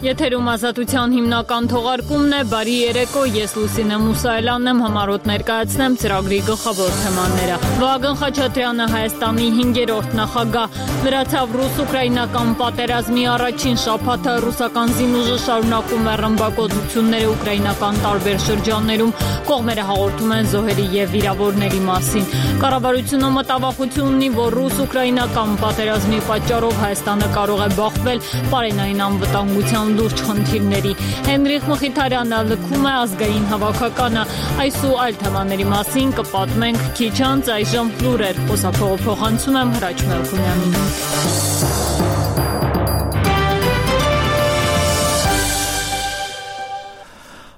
Եթերում ազատության հիմնական թողարկումն է, բարի երեկո, ես Լուսինե Մուսայելյանն եմ, համառոտ ներկայացնեմ ծրագրի գլխավոր թեմաները։ Վահագն Խաչատրյանը Հայաստանի 5-րդ նախագահ, լրացավ ռուս-ուկրաինական պատերազմի առաջին շաբաթը, ռուսական զինուժը շարունակում է ռմբակոծությունները ուկրաինական տարբեր շրջաններում, կողմերը հաղորդում են զոհերի և վիրավորների մասին։ Կառավարությունը մտավախություն ունի, որ ռուս-ուկրաինական պատերազմի պատճառով Հայաստանը կարող է բախվել պարենային անվտանգության լուրջ խնդիրների։ Հենրիխ Մխիթարյանը լքում է ազգային հավաքականը։ Այս ու այլ թեմաների մասին կպատմենք քիչ անց, այժմ լուրեր, խոսափողը փոխանցում եմ Հրաչ Մելքոնյանին։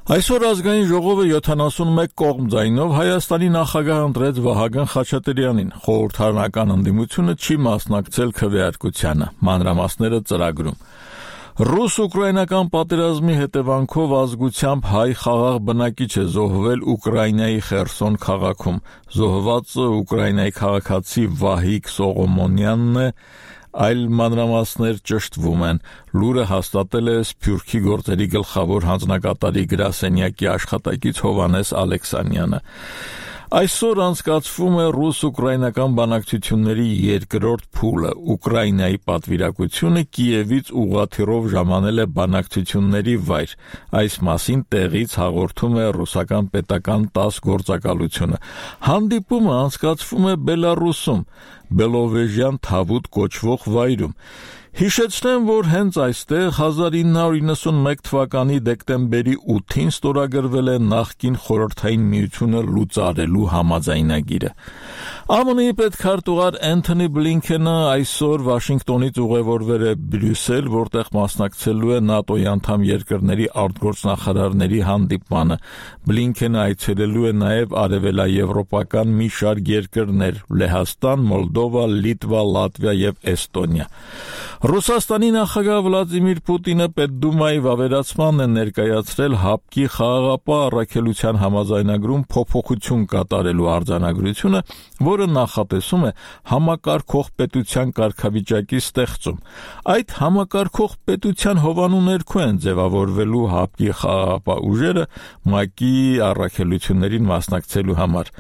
Այսօր ազգային ժողովը 71 կողմ ձայնով Հայաստանի նախագահ ընտրեց Վահագն Խաչատրյանին։ Խորհրդարանական ընդդիմությունը չի մասնակցել քվեարկությանը, մանրամասները ծրագրում։ Ռուս-ուկրաինական պատերազմի հետևանքով ազգությամբ հայ խաղաղ բնակիչ է զոհվել Ուկրաինայի Խերսոն քաղաքում։ Զոհվածը Ուկրաինայի քաղաքացի Վահիկ Սողոմոնյանն է, այլ մանրամասներ ճշտվում են։ Լուրը հաստատել է Սփյուռքի գործերի գլխավոր հանձնակատարի գրասենյակի աշխատակից Հովհաննես Ալեքսանյանը։ Այսօր անցկացվում է ռուս-ուկրաինական բանակցությունների երկրորդ փուլը։ Ուկրաինայի պատվիրակությունը Կիևից ուղղաթիռով ժամանել է բանակցությունների վայր։ Այս մասին տեղից հաղորդում է ռուսական պետական ՏԱՍՍ գործակալությունը։ Հանդիպումը անցկացվում է Բելարուսում, Բելովեժյան Թավուտ կոչվող վայրում։ Հիշեցնեմ, որ հենց այստեղ 1991 թվականի դեկտեմբերի 8-ին ստորագրվել է նախկին Խորհրդային Միությունը լուծարելու համաձայնագիրը։ ԱՄՆ-ի պետքարտուղար Էնթոնի Բլինքենը այսօր Վաշինգտոնից ուղևորվել է Բրյուսել, որտեղ մասնակցելու է ՆԱՏՕ-ի անդամ երկրների արտգործնախարարների հանդիպմանը։ Բլինքենը այցելելու է նաև արևելաեվրոպական մի շարք երկրներ՝ Լեհաստան, Մոլդովա, Լիտվա, Լատվիա և Էստոնիա։ Ռուսաստանի նախագահ Վլադիմիր Պուտինը Պետդումայի վավերացմանն է ներկայացրել ՀԱՊԿ-ի խաղաղապահ առաքելության համաձայնագրում փոփոխություն կատարելու արձանագրությունը, որը նախատեսում է համակարգող պետության կարգավիճակի ստեղծում։ Այդ համակարգող պետության հովանու ներքո են ձևավորվելու ՀԱՊԿ-ի խաղաղապահ ուժերը ՄԱԿ-ի առաքելություններին մասնակցելու համար։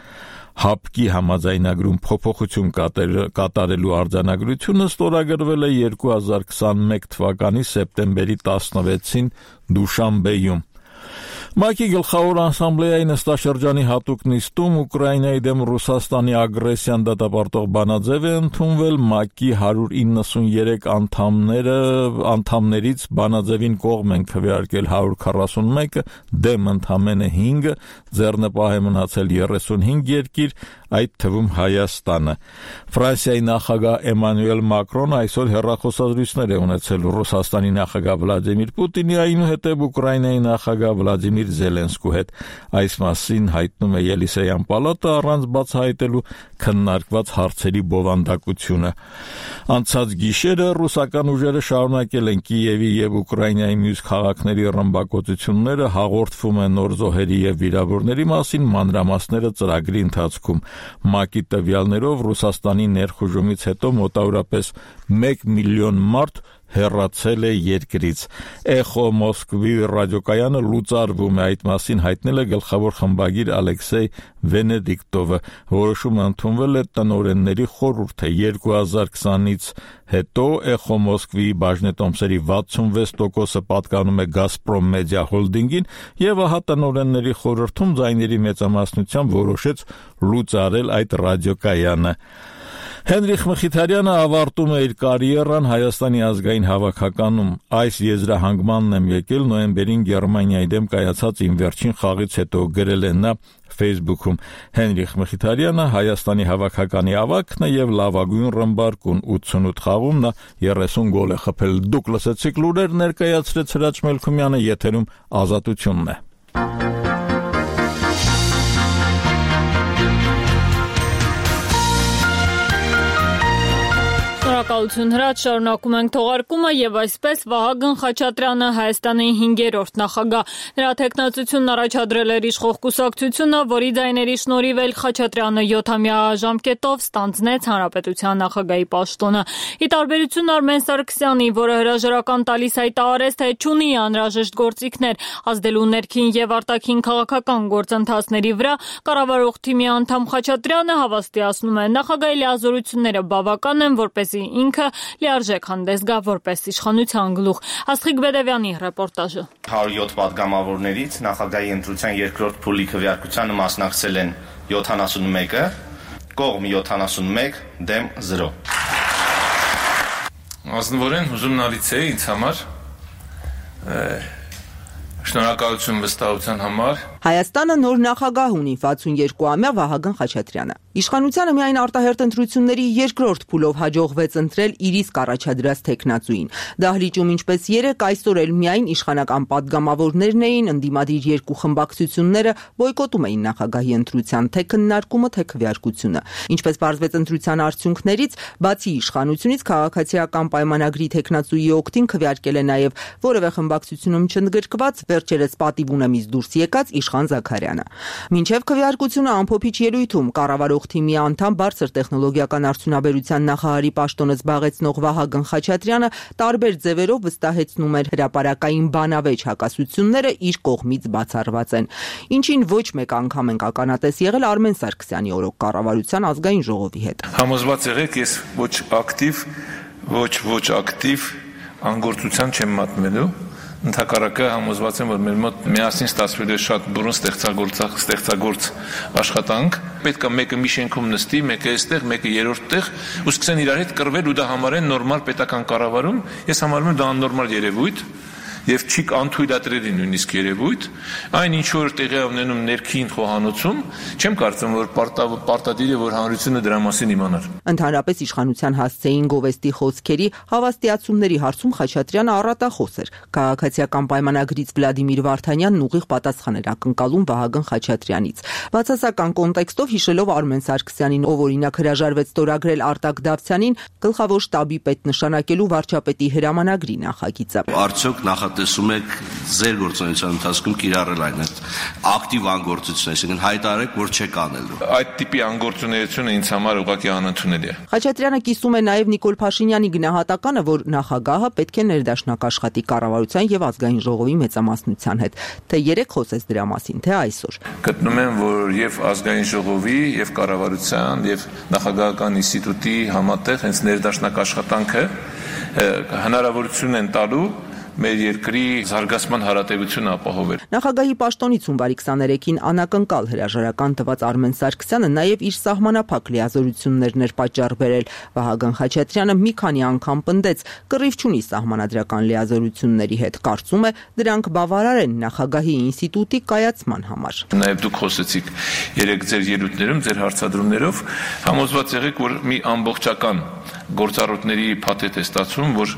ՀԱՊԿ-ի համաձայնագրում փոփոխություն կատարելու արձանագրությունը ստորագրվել է 2021 թվականի սեպտեմբերի 16-ին Դուշանբեում։ ՄԱԿ-ի գլխավոր ասամբլեայի նստաշրջանի հատուկ նիստում Ուկրաինայի դեմ Ռուսաստանի ագրեսիան դատապարտող բանաձև է ընդունվել։ ՄԱԿ-ի 193 անդամներից բանաձևին կողմ են քվեարկել 141-ը, դեմ ընդամենը 5-ը, ձեռնպահ է մնացել 35 երկիր, այդ թվում Հայաստանը։ Ֆրանսիայի նախագահ Էմանուել Մակրոնը այսօր հեռախոսազրույցներ է ունեցել Ռուսաստանի նախագահ Վլադիմիր Պուտինի, այնուհետև Ուկրաինայի նախագահ Վլադիմիր Զելենսկու հետ։ Այս մասին հայտնում է Ելիսեյան պալատը առանց բացահայտելու քննարկված հարցերի բովանդակությունը։ Անցած գիշերը ռուսական ուժերը շարունակել են Կիևի և Ուկրաինայի մյուս քաղաքների ռմբակոծությունները, հաղորդվում է նոր զոհերի և վիրավորների մասին, մանրամասները ծրագրի ընթացքում։ ՄԱԿ-ի տվյալներով Ռուսաստանի ներխուժումից հետո մոտավորապես 1 միլիոն մարդ հեռացել է երկրից։ Էխո Մոսկվի ռադիոկայանը լուծարվում է, այդ մասին հայտնել է գլխավոր խմբագիր Ալեքսեյ Վենեդիկտովը։ Որոշումը ընդունվել է տնօրենների խորհուրդը։ 2020-ից հետո Էխո Մոսկվիի բաժնետոմսերի 66%-ը պատկանում է Գազպրոմ մեդիա հոլդինգին, եւ ահա տնօրենների խորհրդում ձայների մեծամասնությամբ որոշեց լուծարել այդ ռադիոկայանը։ Հենրիխ Մխիթարյանը ավարտում է իր կարիերան Հայաստանի ազգային հավաքականում։ Այս եզրահանգմանն եմ եկել նոյեմբերին Գերմանիայի դեմ կայացած իմ վերջին խաղից հետո, գրել է նա Facebook-ում։ Հենրիխ Մխիթարյանը Հայաստանի հավաքականի ավագն է եւ լավագույն ռմբարկուն, 88 խաղում նա 30 գոլ է խփել։ Դուք լսեցիք լուրեր ներկայացրեց Հրաչ Մելքոնյանը, եթերում Ազատությունն է։ Շնորհակալություն Հրաչ, շարունակում ենք թողարկումը եւ այսպես Վահագն Խաչատրյանը Հայաստանի 5-րդ նախագահ։ Նրա տեխնացությունն առաջադրել էր իշխող կուսակցությունը, որի ձայների շնորհիվ էլ Խաչատրյանը 7-ամյա ժամկետով ստանձնեց Հանրապետության նախագահի պաշտոնը։ Ի տարբերություն Արմեն Սարգսյանի, որը հրաժարական տալիս հայտարարեց, թե չունի անհրաժեշտ գործիքներ ազդելու ներքին եւ արտաքին քաղաքական գործընթացների վրա, կառավարող թիմի անդամ Խաչատրյանը հավաստիացնում է, նախագահի լիազորությունները բավական են, որպեսզի ինքը լիարժեք հանդես գա որպես իշխանության գլուխ։ Աստղիկ Բեդևյանի ռեպորտաժը։ 107 պատգամավորներից նախագահի ընտրության երկրորդ փուլի քվեարկությանը մասնակցել են 71-ը, կողմ 71, դեմ 0։ Ազնվորեն ուզում նալիցեի ինձ համար շնորհակալություն վստահության համար։ Հայաստանը նոր նախագահ ունի 62-ամյա Վահագն Խաչատրյանը։ Իշխանությանը միայն արտահերթ ընտրությունների երկրորդ փուլով հաջողվեց ընտրել իր իսկ առաջադրած տեխնացուին։ Դահլիճում ինչպես երեք, այսօր էլ միայն իշխանական պատգամավորներն էին, ընդդիմադիր երկու խմբակցությունները բոյկոտում էին նախագահի ընտրության թե քննարկումը, թե քվեարկությունը։ Ինչպես պարզվեց ընտրության արդյունքներից, բացի իշխանությունից քաղաքացիական պայմանագրի տեխնացուի օգտին քվեարկել է նաև որևէ խմբակցությունում չընդգրկված վերջերս պատիվ ունեմից դուրս եկած Իշխան Զաքարյանը։ Մինչև քվեարկությունը ամփոփիչ ելույթում կառավարող թիմի անդամ բարձր տեխնոլոգիական արդյունաբերության նախարարի պաշտոնը զբաղեցնող Վահագն Խաչատրյանը տարբեր ձևերով վստահեցնում էր հրապարակային բանավեճ հակասությունները իր կողմից բացառված են։ Ինչին ոչ մեկ անգամ ենք ականատես եղել Արմեն Սարգսյանի օրոք կառավարության ազգային ժողովի հետ։ Համոզված եղեք, ես ոչ ակտիվ անգործության չեմ մատնվելու։ Ընդհակառակը համոզված եմ, որ մեր մոտ միասին ստացվելու է շատ բուրըն ստեղծագործ աշխատանք։ Պետք է մեկը մի շենքում նստի, մեկը այստեղ, մեկը երրորդ տեղ, ու սկսեն իրար հետ կռվել ու դա համարեն նորմալ պետական կառավարում։ Ես համարում եմ դա աննորմալ երևույթ եւ չի անթույլատրելի նույնիսկ երևույթ, այն ինչ որ տեղի ունենում ներքին խոհանոցում, չեմ կարծում որ պարտադիր է որ հանրությունը դրա մասին իմանար։ Ընդհանրապես իշխանության հասցեին գովեստի խոսքերի հավաստիացումների հարցում Խաչատրյանը առատախոս էր։ Քաղաքացիական պայմանագրից Վլադիմիր Վարդանյանն ուղիղ պատասխան էր ակնկալում Վահագն Խաչատրյանից։ Բացասական կոնտեքստով հիշելով Արմեն Սարգսյանին, ով օրինակ հրաժարվեց ստորագրել Արտակ Դավթյանին գլխավոր շտաբի պետ նշանակելու վարչապետի հրամանագրի նախագիծը։ Արդյոք տեսում եք ձեր գործունեության ընթացքում կիրառել այն ակտիվ անգործություն, այսինքն հայտարարեք, որ չեք անելու։ Այդ տիպի անգործունեությունը ինձ համար ուղղակի անընդունելի է։ Խաչատրյանը կիսում է նաև Նիկոլ Փաշինյանի գնահատականը, որ նախագահը պետք է ներդաշնակ աշխատի կառավարության եւ ազգային ժողովի մեծամասնության հետ։ Թե երեք խոսեց դրա մասին, թե այսօր։ Գտնում եմ, որ եւ ազգային ժողովի եւ կառավարության եւ նախագահական ինստիտուտի համատեղ հենց ներդաշնակ աշխատանքը հնարավորություն են տալու մեր երկրի զարգացման հարատևությունը ապահովել։ Նախագահի պաշտոնից հունվարի 23-ին անակնկալ հրաժարական տված Արմեն Սարգսյանը նաև իր սահմանափակ լիազորություններն էր պատճառ բերել։ Վահագն Խաչատրյանը մի քանի անգամ պնդեց, կռիվ չունի սահմանադրական լիազորությունների հետ, կարծում է դրանք բավարար են նախագահի ինստիտուտի կայացման համար։ Նաև դուք խոսեցիք երեք ձեր ելույթներում, ձեր հարցադրումներով, համոզված եղեք, որ մի ամբողջական գործառույթների փաթեթ է ստացվում, որ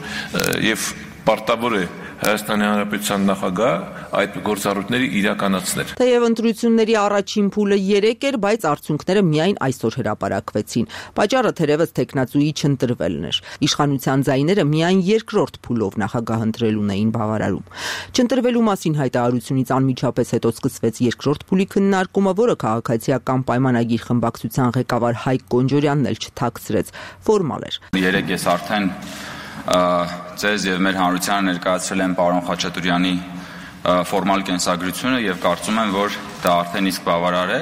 եւ պարտավոր է Հայաստանի Հանրապետության նախագահ այդ գործառույթները իրականացնել։ Թեև ընտրությունների առաջին փուլը 3 էր, բայց արդյունքները միայն այսօր հրապարակվեցին։ Պատճառը թերևս տեխնացուի չընտրվելն էր։ Իշխանության ձայները միայն երկրորդ փուլով նախագահ ընտրելուն էին բավարարում։ Չընտրվելու մասին հայտարարությունից անմիջապես հետո սկսվեց երկրորդ փուլի քննարկումը, որը քաղաքացիական պայմանագիր խմբակցության ղեկավար Հայկ Կոնջորյանն էլ չթաքցրեց, ֆորմալ էր։ Երեք ես արդեն ձեզ եւ մեր հանրությանը ներկայացրել եմ պարոն Խաչատրյանի ֆորմալ կենսագրությունը եւ կարծում եմ, որ դա արդեն իսկ բավարար է։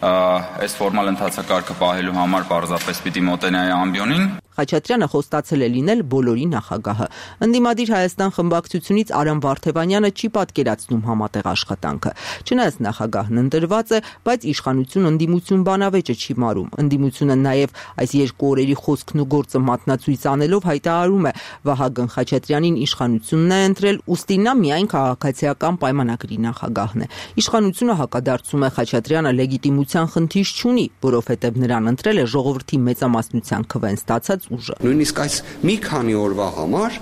Այս ֆորմալ ընթացակարգը պահելու համար պարզապես պիտի մոտենայի ամբիոնին։ Խաչատրյանը խոստացել է լինել բոլորի նախագահը։ Ընդդիմադիր Հայաստան խմբակցությունից Արամ Վարդևանյանը չի պատկերացնում համատեղ աշխատանքը։ Չնայած նախագահն ընտրված է, բայց իշխանություն ընդդիմություն բանավեճը չի մարում։ Ընդդիմությունը նաև այս երկու օրերի խոսքն ու գործը մատնացույց անելով հայտարարում է Վահագն Խաչատրյանին իշխանությունն է ընտրել, ուստի նա միայն քաղաքացիական պայմանագրի նախագահն է։ Իշխանությունը հակադարձում է Խաչատրյանը լեգիտիմության խնդիր չունի, որովհետև նրան ընտրել է ժողովրդի մեծամասնության քվեն ստացած ուժը։ Նույնիսկ այս մի քանի օրվա համար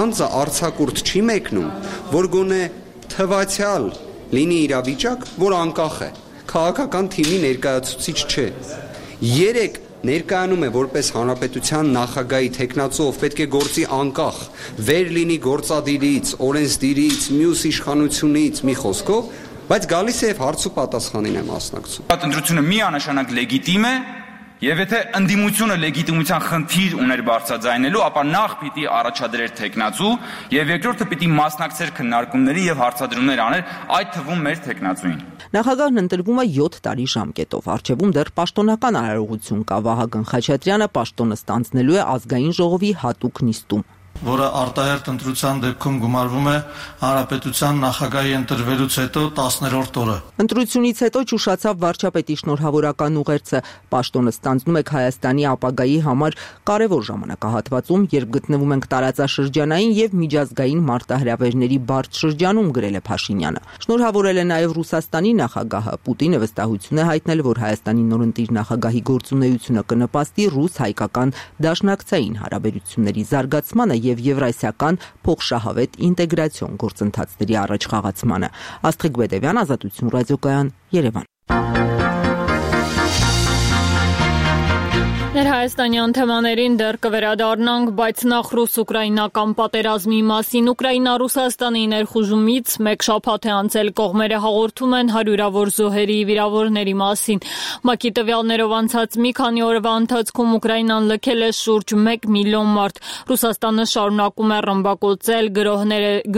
անձը արձակուրդ չի մեկնում, որ գոնե թվացյալ լինի իրավիճակ, որ անկախ է, քաղաքական թիմի ներկայացուցիչ չէ։ 3 ներկայանում է որպես հանրապետության նախագահի թեկնածու, ով պետք է գործի անկախ, վեր լինի գործադիրից, օրենսդիրից, մյուս իշխանությունից, մի խոսքով, բայց գալիս է եւ հարց ու պատասխանին է մասնակցում։ Ընտրությունը միանշանակ լեգիտիմ է, եւ եթե ընդդիմությունը լեգիտիմության խնդիր ուներ բարձրաձայնելու, ապա նախ պիտի առաջադրեր թեկնածու եւ երկրորդը պիտի մասնակցեր քննարկումների եւ հարցադրումներ աներ, այդ թվում մեր թեկնածուին։ Նախագահն ընտրվում է 7 տարի ժամկետով։ Առջևում դեռ պաշտոնական արարողություն կա։ Վահագն Խաչատրյանը պաշտոնը ստանձնելու է ազգային ժողովի հատուկ նիստում, որը արտահերթ ընտրության դեպքում գումարվում է հանրապետության նախագահի ընտրվելուց հետո 10-րդ օրը։ Ընտրությունից հետո ճուշացավ վարչապետի շնորհավորական ուղերձը։ Պաշտոնը ստանձնում եք Հայաստանի ապագայի համար կարևոր ժամանակահատվածում, երբ գտնվում ենք տարածաշրջանային եւ միջազգային մարտահրավերների բարդ շրջանում, գրել է Փաշինյանը։ Շնորհավորել է նաեւ Ռուսաստանի նախագահը։ Պուտինը վստահություն է հայտնել, որ Հայաստանի նորընտիր նախագահի գործունեությունը կնպաստի ռուս-հայկական դաշնակցային հարաբերությունների զարգացմանը եւ եվրասիական փոխշահավետ ինտեգրացիոն գործընթացների առաջ խաղացմանը։ Աստղիկ Բեդևյան, Ազատություն ռադիոկայան, Երևան։ Ներհայաստանյան թեմաներին դեռ կվերադառնանք, բայց նախ ռուս-ուկրաինական պատերազմի մասին։ Ուկրաինա-Ռուսաստանի ներխուժումից մեկ շաբաթ է անցել, կողմերը հաղորդում են հարյուրավոր զոհերի, վիրավորների մասին։ ՄԱԿ-ի տվյալներով անցած մի քանի օրվա ընթացքում Ուկրաինան լքել է շուրջ 1 միլիոն մարդ։ Ռուսաստանը շարունակում է ռմբակոծել,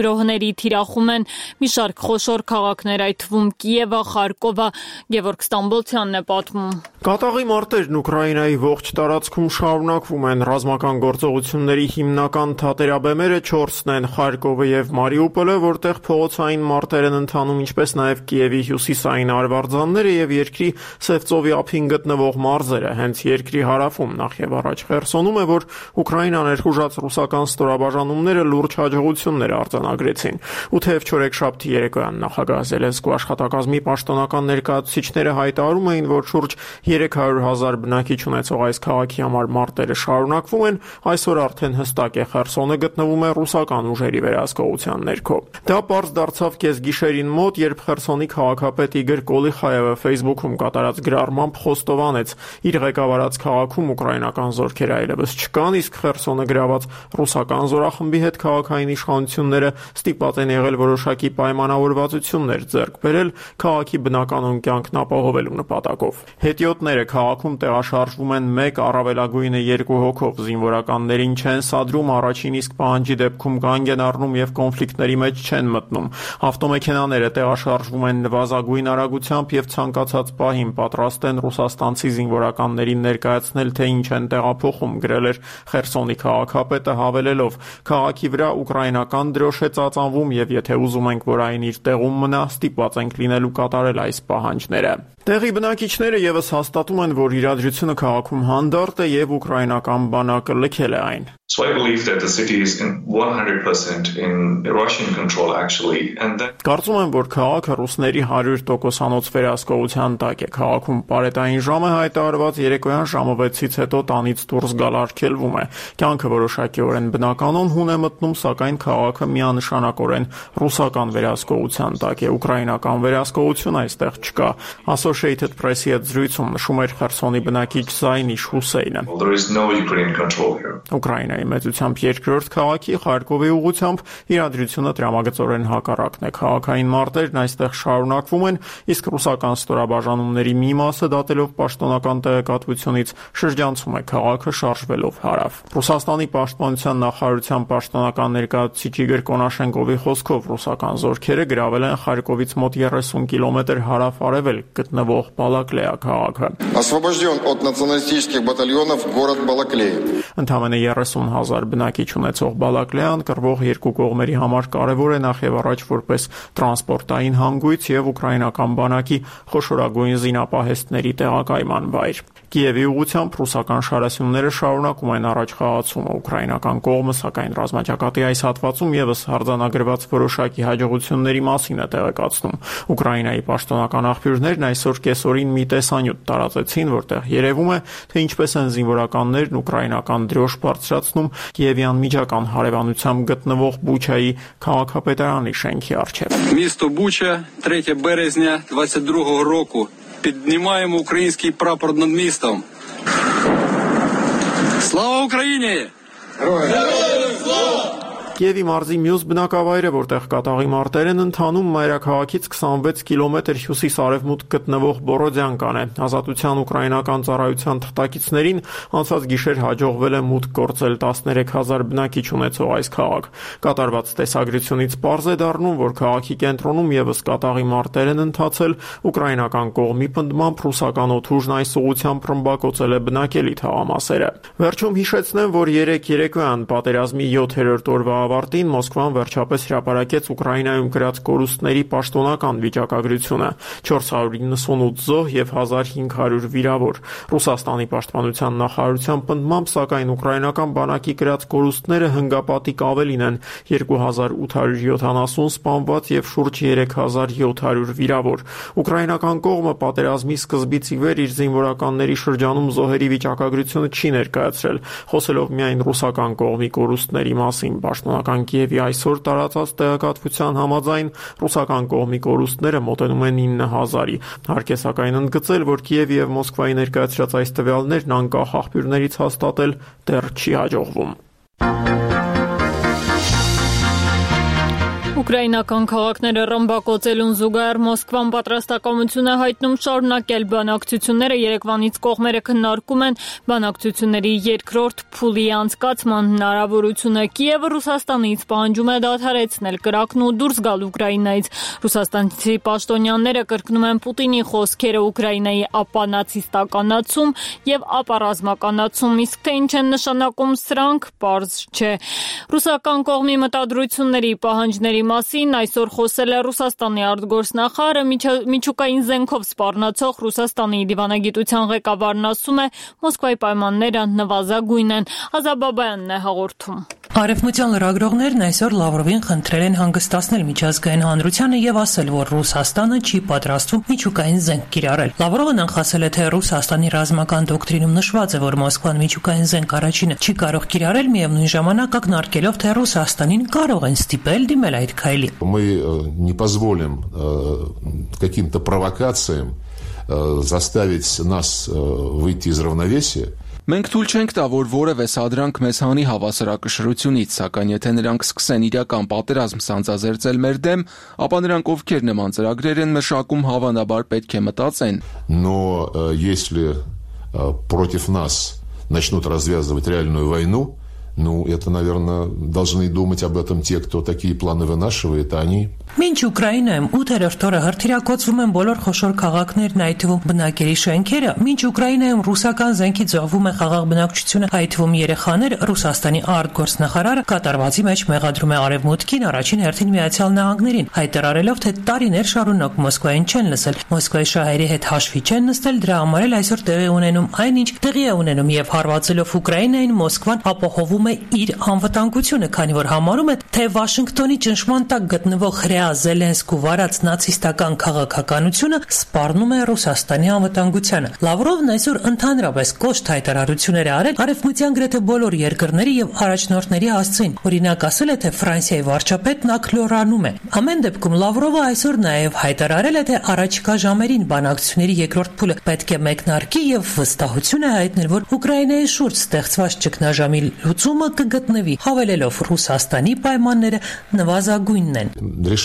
գրոհների թիրախում են մի շարք խոշոր քաղաքներ, այդ թվում Կիևը, Խարկովը։ Գևորգ Ստամբոլցյանն է պատմում։ Կատաղի մարտերն Ուկրաինայի ողջ տարածքում շարունակվում են։ Ռազմական գործողությունների հիմնական թատերաբեմերը 4-ն են՝ Խարկովը եւ Մարիուպոլը, որտեղ փողոցային մարտեր են ընթանում, ինչպես նաեւ Կիևի հյուսիսային արվարձանները եւ երկրի Սևծովի ափին գտնվող մարզերը։ Հենց երկրի հարավում նախ եւ առաջ Խերսոնում է, որ Ուկրաինան ներխուժած ռուսական ստորաբաժանումները լուրջ հաջողություններ արձանագրեցին։ 8 չորեքշաբթի երեկոյան նախագահ Զելենսկու աշխատակազմի պաշտոնական ներկայացուցիչները հայտարարում էին, որ շուրջ 300,000 բնակիչ ունեցող այս քաղաքի համար մարտերը շարունակվում են, այսօր արդեն հստակ է Խերսոնը գտնվում է ռուսական ուժերի վերահսկողության ներքո։ Դա պարզ դարձավ կեսգիշերին մոտ, երբ Խերսոնի քաղաքապետ Իգոր Կոլիխայևը Facebook-ում կատարած գրառմամբ խոստովանեց, իր ղեկավարած քաղաքում ուկրաինական զորքեր այլևս չկան, իսկ Խերսոնը գրաված ռուսական զորախմբի հետ քաղաքային իշխանությունները ստիպված են եղել որոշակի պայմանավորվածություններ ձեռք բերել քաղաքի բնականon կյանքն ապահովելու նպատակով։ Հետիոտները քաղաքում տեղաշարժվում են 1, առավելագույնը 2 հոգով, զինվորականներին չեն սադրում, առաջին իսկ պահանջի դեպքում կանգ են առնում եւ կոնֆլիկտների մեջ չեն մտնում։ Ավտոմեքենաները տեղաշարժվում են նվազագույն արագությամբ եւ ցանկացած պահին պատրաստ են ռուսաստանցի զինվորականներին ներկայացնել, թե ինչ են տեղափոխում, գրել էր Խերսոնի քաղաքապետը, հավելելով. քաղաքի վրա ուկրաինական դրոշ է ծածանվում եւ եթե ուզում ենք, որ այն իր տեղում մնա, ստիպված ենք լինելու կատարել այս պահանջները։ Տեղի բնակիչները եւս հաստատում են, որ իրադրությունը քաղաքում հանդարտ է եւ ուկրաինական բանակը լքել է այն։ So I believe that the city is 100% in Russian control actually and then Կարծում եմ, որ քաղաքը ռուսների 100%-անոց վերահսկողության տակ է։ Քաղաքում պարետային ժամ է հայտարարված, երեկոյան ժամը 6-ից հետո տանից դուրս գալ արգելվում է։ Կյանքը որոշակիորեն բնականon հուն է մտնում, սակայն քաղաքը միանշանակորեն ռուսական վերահսկողության տակ է։ Ուկրաինական վերահսկողություն այստեղ չկա։ Associated Press-ի հետ զրույցում նշում էր Խերսոնի բնակիչ Զայնիշ Հուսեյնը։ there is no Ukrainian control here. Ուկրաինայի մեծությամբ երկրորդ քաղաքի Խարկովի ուղղությամբ իրադրությունը տրամագծորեն հակառակն է։ Քաղաքային մարտերն այստեղ շարունակվում են, իսկ ռուսական ստորաբաժանումների մի մասը դատելով պաշտոնական տեղեկատվությունից շրջանցում է քաղաքը շարժվելով հարավ։ Ռուսաստանի պաշտպանության նախարարության պաշտոնական ներկայացուցիչ Իգոր Կոնաշենկովի խոսքով ռուսական զորքերը գրավել են Խարկովից մոտ 30 կիլոմետր հարավ-արևելք գտնվող Բալակլեա քաղաքը։ Освобожден от националистических батальонов город Балаклея. Ընդամենը 30,000 բնակիչ ունեցող Բալակլեան կռվող երկու կողմերի համար կարևոր է նախ եւ առաջ որպես տրանսպորտային հանգույց եւ ուկրաինական բանակի խոշորագույն զինապահեստների տեղակայման վայր։ Կիևի ուղղությամբ ռուսական շարասյունները շարունակում են առաջ խաղացումը։ Ուկրաինական կողմը, սակայն ռազմաճակատի այս հատվածում եւս արձանագրված որոշակի հաջողությունների մասին է տեղեկացնում։ Ուկրաինայի պաշտոնական աղբյուրներն այսօր կեսօրին մի տեսանյութ տարածեցին, որտեղ երևում է, թե ինչպես են զինվորականներն ուկրաինական դրոշ բարձրացնում Կիևյան միջական հարևանությամբ գտնվող Բուչայի քաղաքապետարանի շենքի առջև։ Місто Буча, 3 березня 22-го року. Піднімаємо український прапор над містом. Слава Украине! Կիևի մարզի մյուս բնակավայրը, որտեղ կատաղի մարտեր են ընթանում, մայրաքաղաքից 26 կիլոմետր հյուսիս-արևմուտք գտնվող Բորոդյանկան է։ Ազատության ուկրաինական ծառայության թղթակիցներին անցած գիշեր հաջողվել է մուտք գործել 13,000 բնակիչ ունեցող այս քաղաք։ Կատարված տեսագրությունից պարզ է դառնում, որ քաղաքի կենտրոնում եւս կատաղի մարտեր են ընթացել, ուկրաինական կողմի պնդմամբ ռուսական օդուժն այս ուղղությամբ ռմբակոծել է բնակելի թաղամասերը։ Վերջում հիշեցնեմ, որ երեկոյան պատերազմի 7-րդ օրվա ավարտին Մոսկվան վերջապես հրապարակեց Ուկրաինայում գրած կորուստների պաշտոնական վիճակագրությունը՝ 498 զոհ եւ 1500 վիրավոր։ Ռուսաստանի պաշտպանության նախարարության պնդմամբ, սակայն ուկրաինական բանակի գրած կորուստները հնգապատիկ ավելին են՝ 2870 սպանված եւ շուրջ 3700 վիրավոր։ Ուկրաինական կողմը պատերազմի սկզբից ի վեր իր զինվորականների շրջանում զոհերի վիճակագրությունը չի ներկայացրել, խոսելով միայն ռուսական կողմի կորուստների մասին։ Պաշտոնական Կիևի այսօր տարածած տեղեկատվության համաձայն ռուսական կողմի կորուստները մոտենում են 9000-ի։ Հարկ է սակայն ընդգծել, որ Կիևի եւ Մոսկվայի ներկայացրած այս տվյալներն անկախ աղբյուրներից հաստատել դեռ չի հաջողվում։ Ուկրաինական քաղաքները ռմբակոծելուն զուգահեռ Մոսկվան պատրաստակամություն է հայտնում շարունակել բանակցությունները։ Երևանից կողմերը քննարկում են բանակցությունների երկրորդ փուլի անցկացման հնարավորությունը։ Կիևը Ռուսաստանից պահանջում է դադարեցնել կրակն ու դուրս գալ Ուկրաինայից։ Ռուսաստանցի պաշտոնյաները կրկնում են Պուտինի խոսքերը Ուկրաինայի ապանացիստականացում եւ ապառազմականացում, իսկ թե ինչ են նշանակում սրանք, պարզ չէ։ Ռուսական կողմի մտադրությունների պահանջների մասին այսօր խոսել է Ռուսաստանի արտգործնախարարը, միջուկային զենքով սպառնացող Ռուսաստանի դիվանագիտության ղեկավարն ասում է, Մոսկվայի պայմանները նվազագույն են։ Ազաբաբայանն է հաղորդում։ Արևմտյան լրագրողներն այսօր Լավրովին խնդրել են հանգստացնել միջազգային հանրությանը եւ ասել, որ Ռուսաստանը չի պատրաստվում միջուկային զենք կիրառել։ Լավրովը նախասել է, թե Ռուսաստանի ռազմական դոկտրինում նշված է, որ Մոսկվան միջուկային զենք առաջինը չի կարող կիրառել, միևնույն ժամանակ ակնարկելով, թե Ռուսաստանին կարող են ստիպել դիմել այդ քայլի։ Мы не позволим каким-то провокациям заставить нас выйти из равновесия. Մենք թույլ չենք տա, որ որևէ սադրանք մեզ հանի հավասարակշռությունից, սակայն եթե նրանք սկսեն իրական պատերազմ սանձազերծել մեր դեմ, ապա նրանք ովքեր նման ծրագրեր են մշակում, հավանաբար պետք է մտածեն։ Но если против нас начнут развязывать реальную войну, ну, это, наверное, должны думать об этом те, кто такие планы вынашивает, а они... Մինչ Ուկրաինայում 8-րդ օրը հրթիռակոծվում են բոլոր խոշոր քաղաքներն, այդ թվում բնակելի շենքերը, մինչ Ուկրաինայում ռուսական զենքից զոհվում է խաղաղ բնակչությունը, այդ թվում երեխաներ, Ռուսաստանի արտգործնախարարը կատարվածի մեջ մեղադրում է Արևմուտքին, առաջին հերթին Միացյալ Նահանգներին, հայտարարելով, թե տարիներ շարունակ Մոսկվային չեն լսել, Մոսկվայի շահերի հետ հաշվի չեն նստել, դրա համար էլ այսօր տեղի ունենում այնինչ տեղի է ունենում եւ հարվածելով Ուկրաինային Մոսկվան ապահովում է իր անվտանգությունը, քանի որ համարում է, թե Վաշինգտոնի ճնշման տակ գտնվող Զելենսկու վարած նացիստական քաղաքականությունը սպառնում է Ռուսաստանի անվտանգությանը։ Լավրովն այսօր ընդհանրապես կոշտ հայտարարություններ է արել արևմտյան գրեթե բոլոր երկրների եւ առաջնորդների հասցեին։ Օրինակ ասել է, թե Ֆրանսիայի վարչապետն ակլորանում է։ Ամեն դեպքում Լավրովը այսօր նաեւ հայտարարել է, թե առաջիկա ժամերին բանակցությունների երկրորդ փուլը պետք է մեկնարկի եւ վստահություն է հայտնել, որ Ուկրաինայի շուրջ ստեղծված ճգնաժամի լուծումը կգտնվի, հավելելով Ռուսաստանի պայմանները նվազագույնն են։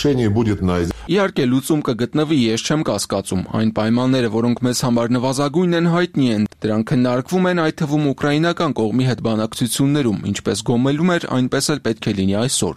Իհարկե լուծում կգտնվի, ես չեմ կասկածում։ Այն պայմանները, որոնք մեզ համար նվազագույն են, հայտնի են։ Դրանք քննարկվում են այդ թվում ուկրաինական կողմի հետ բանակցություններում, ինչպես գոմելում էր, այնպես էլ պետք է լինի այսօր։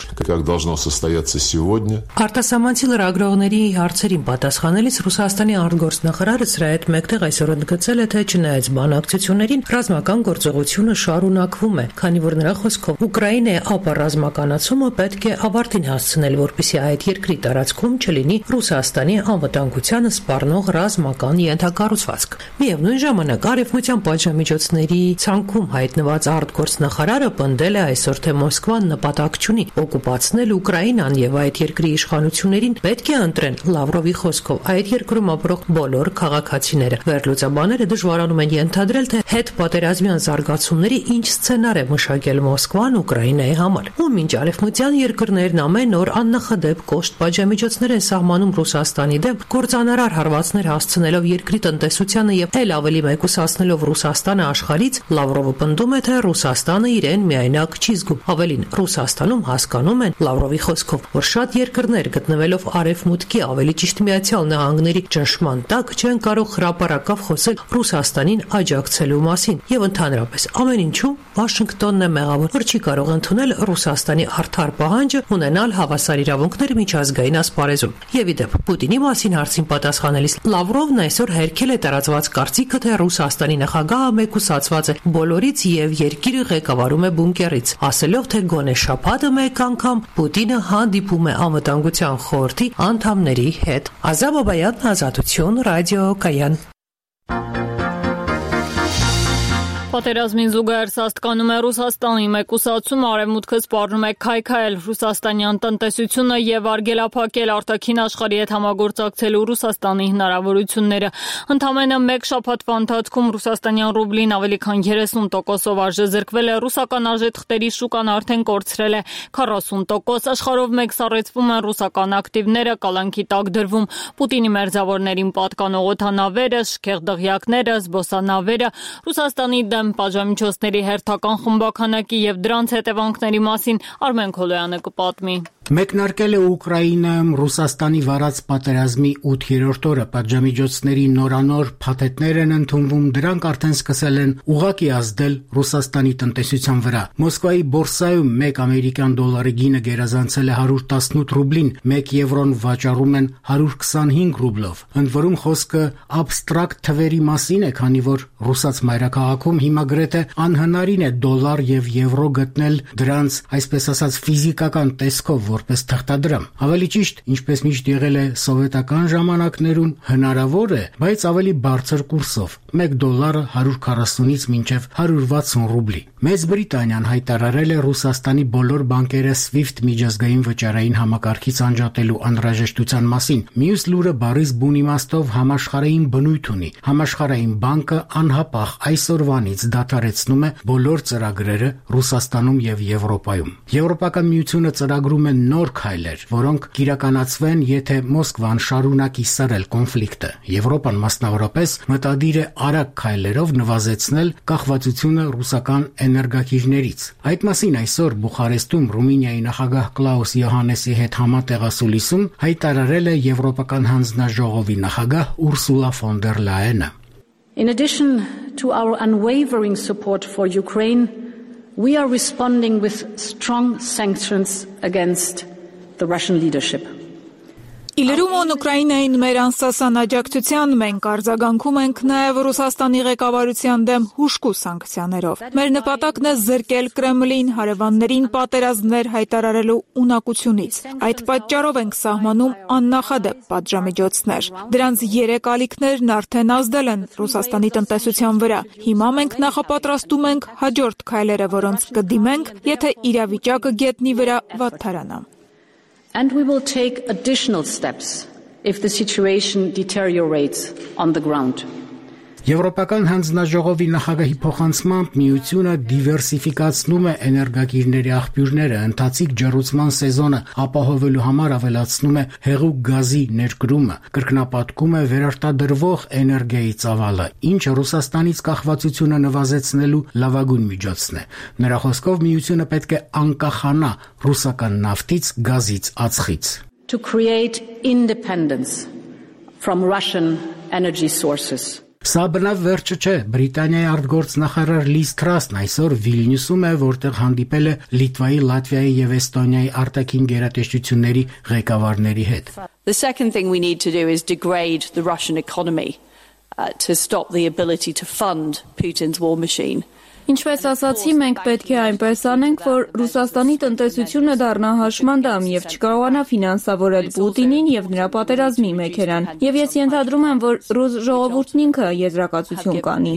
Արտասահմանցի լրագրողների հարցերին պատասխանելիս Ռուսաստանի արտգործնախարարը սրա հետ մեկտեղ այսօր ընդգծել է, թե չնայած բանակցություններին ռազմական գործողությունը շարունակվում է, քանի որ նրա խոսքով Ուկրաինայի ապառազմականացումը պետք է ավարտին հասցնել, որպեսզի այդ երկրի տարածքում չլինի Ռուսաստանի անվտանգությանը սպառնող ռազմական ենթակառուցվածք։ Միևնույն ժամանակ արևմտյան պատժամիջոցների ցանկում հայտնված արտգործնախարարը պնդել է այսօր, թե Մոսկվան նպատակ չունի օկուպացնել Ուկրաինան եւ այդ երկրի իշխանություններին պետք է ընտրեն Լավրովի խոսքով այդ երկրում ապրող բոլոր քաղաքացիները։ Վերլուծաբանները դժվարանում են ենթադրել, թե հետ պատերազմյան զարգացումների ինչ սցենար է մշակել Մոսկվան Ուկրաինայի համար։ Ու մինչ արևմտյան երկրներն ամեն օր աննախադեպ կոշտ պատժամիջոցներ են սահմանում Ռուսաստանի դեմ, կործանարար հարվածներ հասցնելով երկրի տնտեսությանը եւ ել ավելի մեկուսացնելով արտահայտելով Ռուսաստանը աշխարհից, Լավրովը պնդում է, թե Ռուսաստանը իրեն միայնակ չի զգում։ Ավելին, Ռուսաստանում հասկանում են, Լավրովի խոսքով, որ շատ երկրներ գտնվելով Արևմուտքի, ավելի ճիշտ Միացյալ Նահանգների ճնշման տակ չեն կարող հրապարակավ խոսել Ռուսաստանին աջակցելու մասին եւ ընդհանրապես ամեն ինչում Վաշինգտոնն է մեղավոր, որ չի կարող ընդունել Ռուսաստանի արդար պահանջը ունենալ հավասար իրավունքներ միջազգային ասպարեզում։ Եվ ի դեպ Պուտինի մասին հարցին պատասխանելիս Լավրովն այսօր հերքել է տարածված կարծիքը, թե Ռուսաստանի նախագահը մեկուսացված է բոլորից եւ երկիրը ղեկավարում է բունկերից, ասելով, թե գոնե շաբաթը մեկ անգամ Պուտինը հանդիպում է անվտանգության խորհրդի անդամների հետ։ Ազատ Բաբայան, Ազատություն, Ռադիո Կայան։ Պատերազմին զուգահեռ սաստկանում է Ռուսաստանի մեկուսացումը, Արևմուտքը սպառնում է քայքայել ռուսաստանյան տնտեսությունը եւ արգելափակել արտաքին աշխարհի հետ համագործակցելու Ռուսաստանի հնարավորությունները։ Ընդամենը մեկ շաբաթվա ընթացքում ռուսաստանյան ռուբլին ավելի քան 30%-ով արժեզրկվել է, ռուսական արժեթղթերի շուկան արդեն կորցրել է 40%, աշխարհով մեկ սառեցվում են ռուսական ակտիվները, կալանքի տակ դրվում Պուտինի մերձավորներին պատկանող օդանավերը, շքեղ դղյակները, զբոսանավերը, Ռուսաստանի պատժամիջոցների հերթական խմբականակի եւ դրանց հետևանքների մասին Արմեն Քոլոյանը կպատմի։ Մեկնարկել է Ուկրաինայում Ռուսաստանի վարած պատերազմի 8-րդ օրը, պատժամիջոցների նորանոր փաթեթներ են ընդունվում, դրանք արդեն սկսել են ուղղակի ազդել Ռուսաստանի տնտեսության վրա։ Մոսկվայի բորսայում 1 ամերիկյան դոլարի գինը գերազանցել է 118 ռուբլին, 1 եվրոն վաճառում են 125 ռուբլով։ Ընդ որում խոսքը աբստրակտ թվերի մասին է, քանի որ ռուսաց մայրաքաղաքում հիմա գրեթե անհնարին է դոլար եւ եվրո գտնել դրանց, այսպես ասած, ֆիզիկական տեսքով որպես թղթադրամ։ Ավելի ճիշտ, ինչպես միշտ եղել է սովետական ժամանակներում, հնարավոր է, բայց ավելի բարձր կուրսով՝ $1 140-ից մինչև 160 ռուբլի։ Մեծ Բրիտանիան հայտարարել է Ռուսաստանի բոլոր բանկերը SWIFT միջազգային վճարային համակարգից անջատելու անհրաժեշտության մասին։ Մյուս լուրը բառից բուն իմաստով համաշխարհային բնույթ ունի։ Համաշխարհային բանկը անհապաղ այսօրվանից դադարեցնում է բոլոր ծրագրերը Ռուսաստանում եւ Եվրոպայում։ Եվրոպական միությունը ծրագրում է նոր քայլեր, որոնք կիրականացվեն, եթե Մոսկվան շարունակի սրել կոնֆլիկտը։ Եվրոպան մասնավորապես մտադիր է արագ քայլերով նվազեցնել կախվածությունը ռուսական էներգակիրներից։ Այդ մասին այսօր Բուխարեստում Ռումինիայի նախագահ Կլաուս Յոհանեսի հետ համատեղասուլիսում հայտարարել է Եվրոպական հանձնաժողովի նախագահ Ուրսուլա ֆոն դեր Լայենը։ In addition to our unwavering support for Ukraine, we are responding with strong sanctions against the Russian leadership. Իլրումոն Ուկրաինային մեր անսասան աջակցության մենք արձագանքում ենք նաև Ռուսաստանի ղեկավարության դեմ հուժկու սանկցիաներով։ Մեր նպատակն է զրկել Կրեմլին հարևաններին պատերազմներ հայտարարելու ունակությունից։ Այդ պատճառով ենք սահմանում աննախադեպ պատժամիջոցներ։ Դրանց 3 ալիքներն արդեն ազդել են Ռուսաստանի տնտեսության վրա։ Հիմա մենք նախապատրաստում ենք հաջորդ քայլերը, որոնց կդիմենք, եթե իրավիճակը գետնի վրա վատթարանա։ And we will take additional steps if the situation deteriorates on the ground. Եվրոպական հանձնաժողովի նախագահի փոխանցմամբ միությունը դիվերսիֆիկացնում է էներգակիրների աղբյուրները, ընթացիկ ջեռուցման սեզոնը ապահովելու համար ավելացնում է հեղուկ գազի ներկրումը, կրկնապատկում է վերարտադրվող էներգիայի ծավալը, ինչը Ռուսաստանից կախվածությունը նվազեցնելու լավագույն միջոցն է։ Նրա խոսքով միությունը պետք է անկախանա ռուսական նավթից, գազից, ածխից։ To create independence from Russian energy sources. Սա բնավ վերջը չէ։ Բրիտանիայի արտգործնախարար Լիզ Թրասն այսօր Վիլնյուսում է, որտեղ հանդիպել է Լիտվայի, Լատվիայի եւ Էստոնիայի արտաքին գերատեսչությունների ղեկավարների հետ։ The second thing we need to do is degrade the Russian economy to stop the ability to fund Putin's war machine. Ինչպես ասացի, մենք պետք է այնպես անենք, որ Ռուսաստանի տնտեսությունը դառնա հաշմանդամ եւ չկարողանա ֆինանսավորել Պուտինին եւ նրա պատերազմի մեքենան։ Եվ ես ենթադրում եմ, որ ռուս ժողովուրդն ինքը եզրակացություն կանի։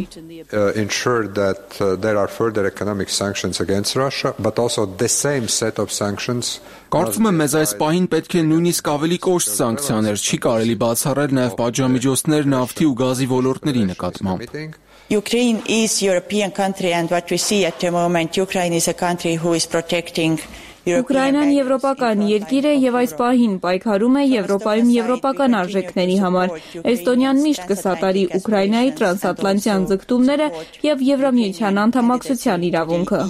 Ensure that there are further economic sanctions against Russia, but also the same set of sanctions. Կարծում եմ, մեզ այս պահին պետք է նույնիսկ ավելի կոշտ սանկցիաներ, չի կարելի բացառել նաև պատժամիջոցներ նավթի ու գազի ոլորտների նկատմամբ։ Ukraine is a European country, and what we see at the moment, Ukraine is a country who is protecting Ուկրաինան եվրոպական երկիր է եւ այս պահին պայքարում է Եվրոպայում եվրոպական արժեքների համար։ Էստոնիան միշտ կսատարի Ուկրաինայի տրանսատլանտյան ձգտումները եւ Եվրամիության անդամակցության իրավունքը։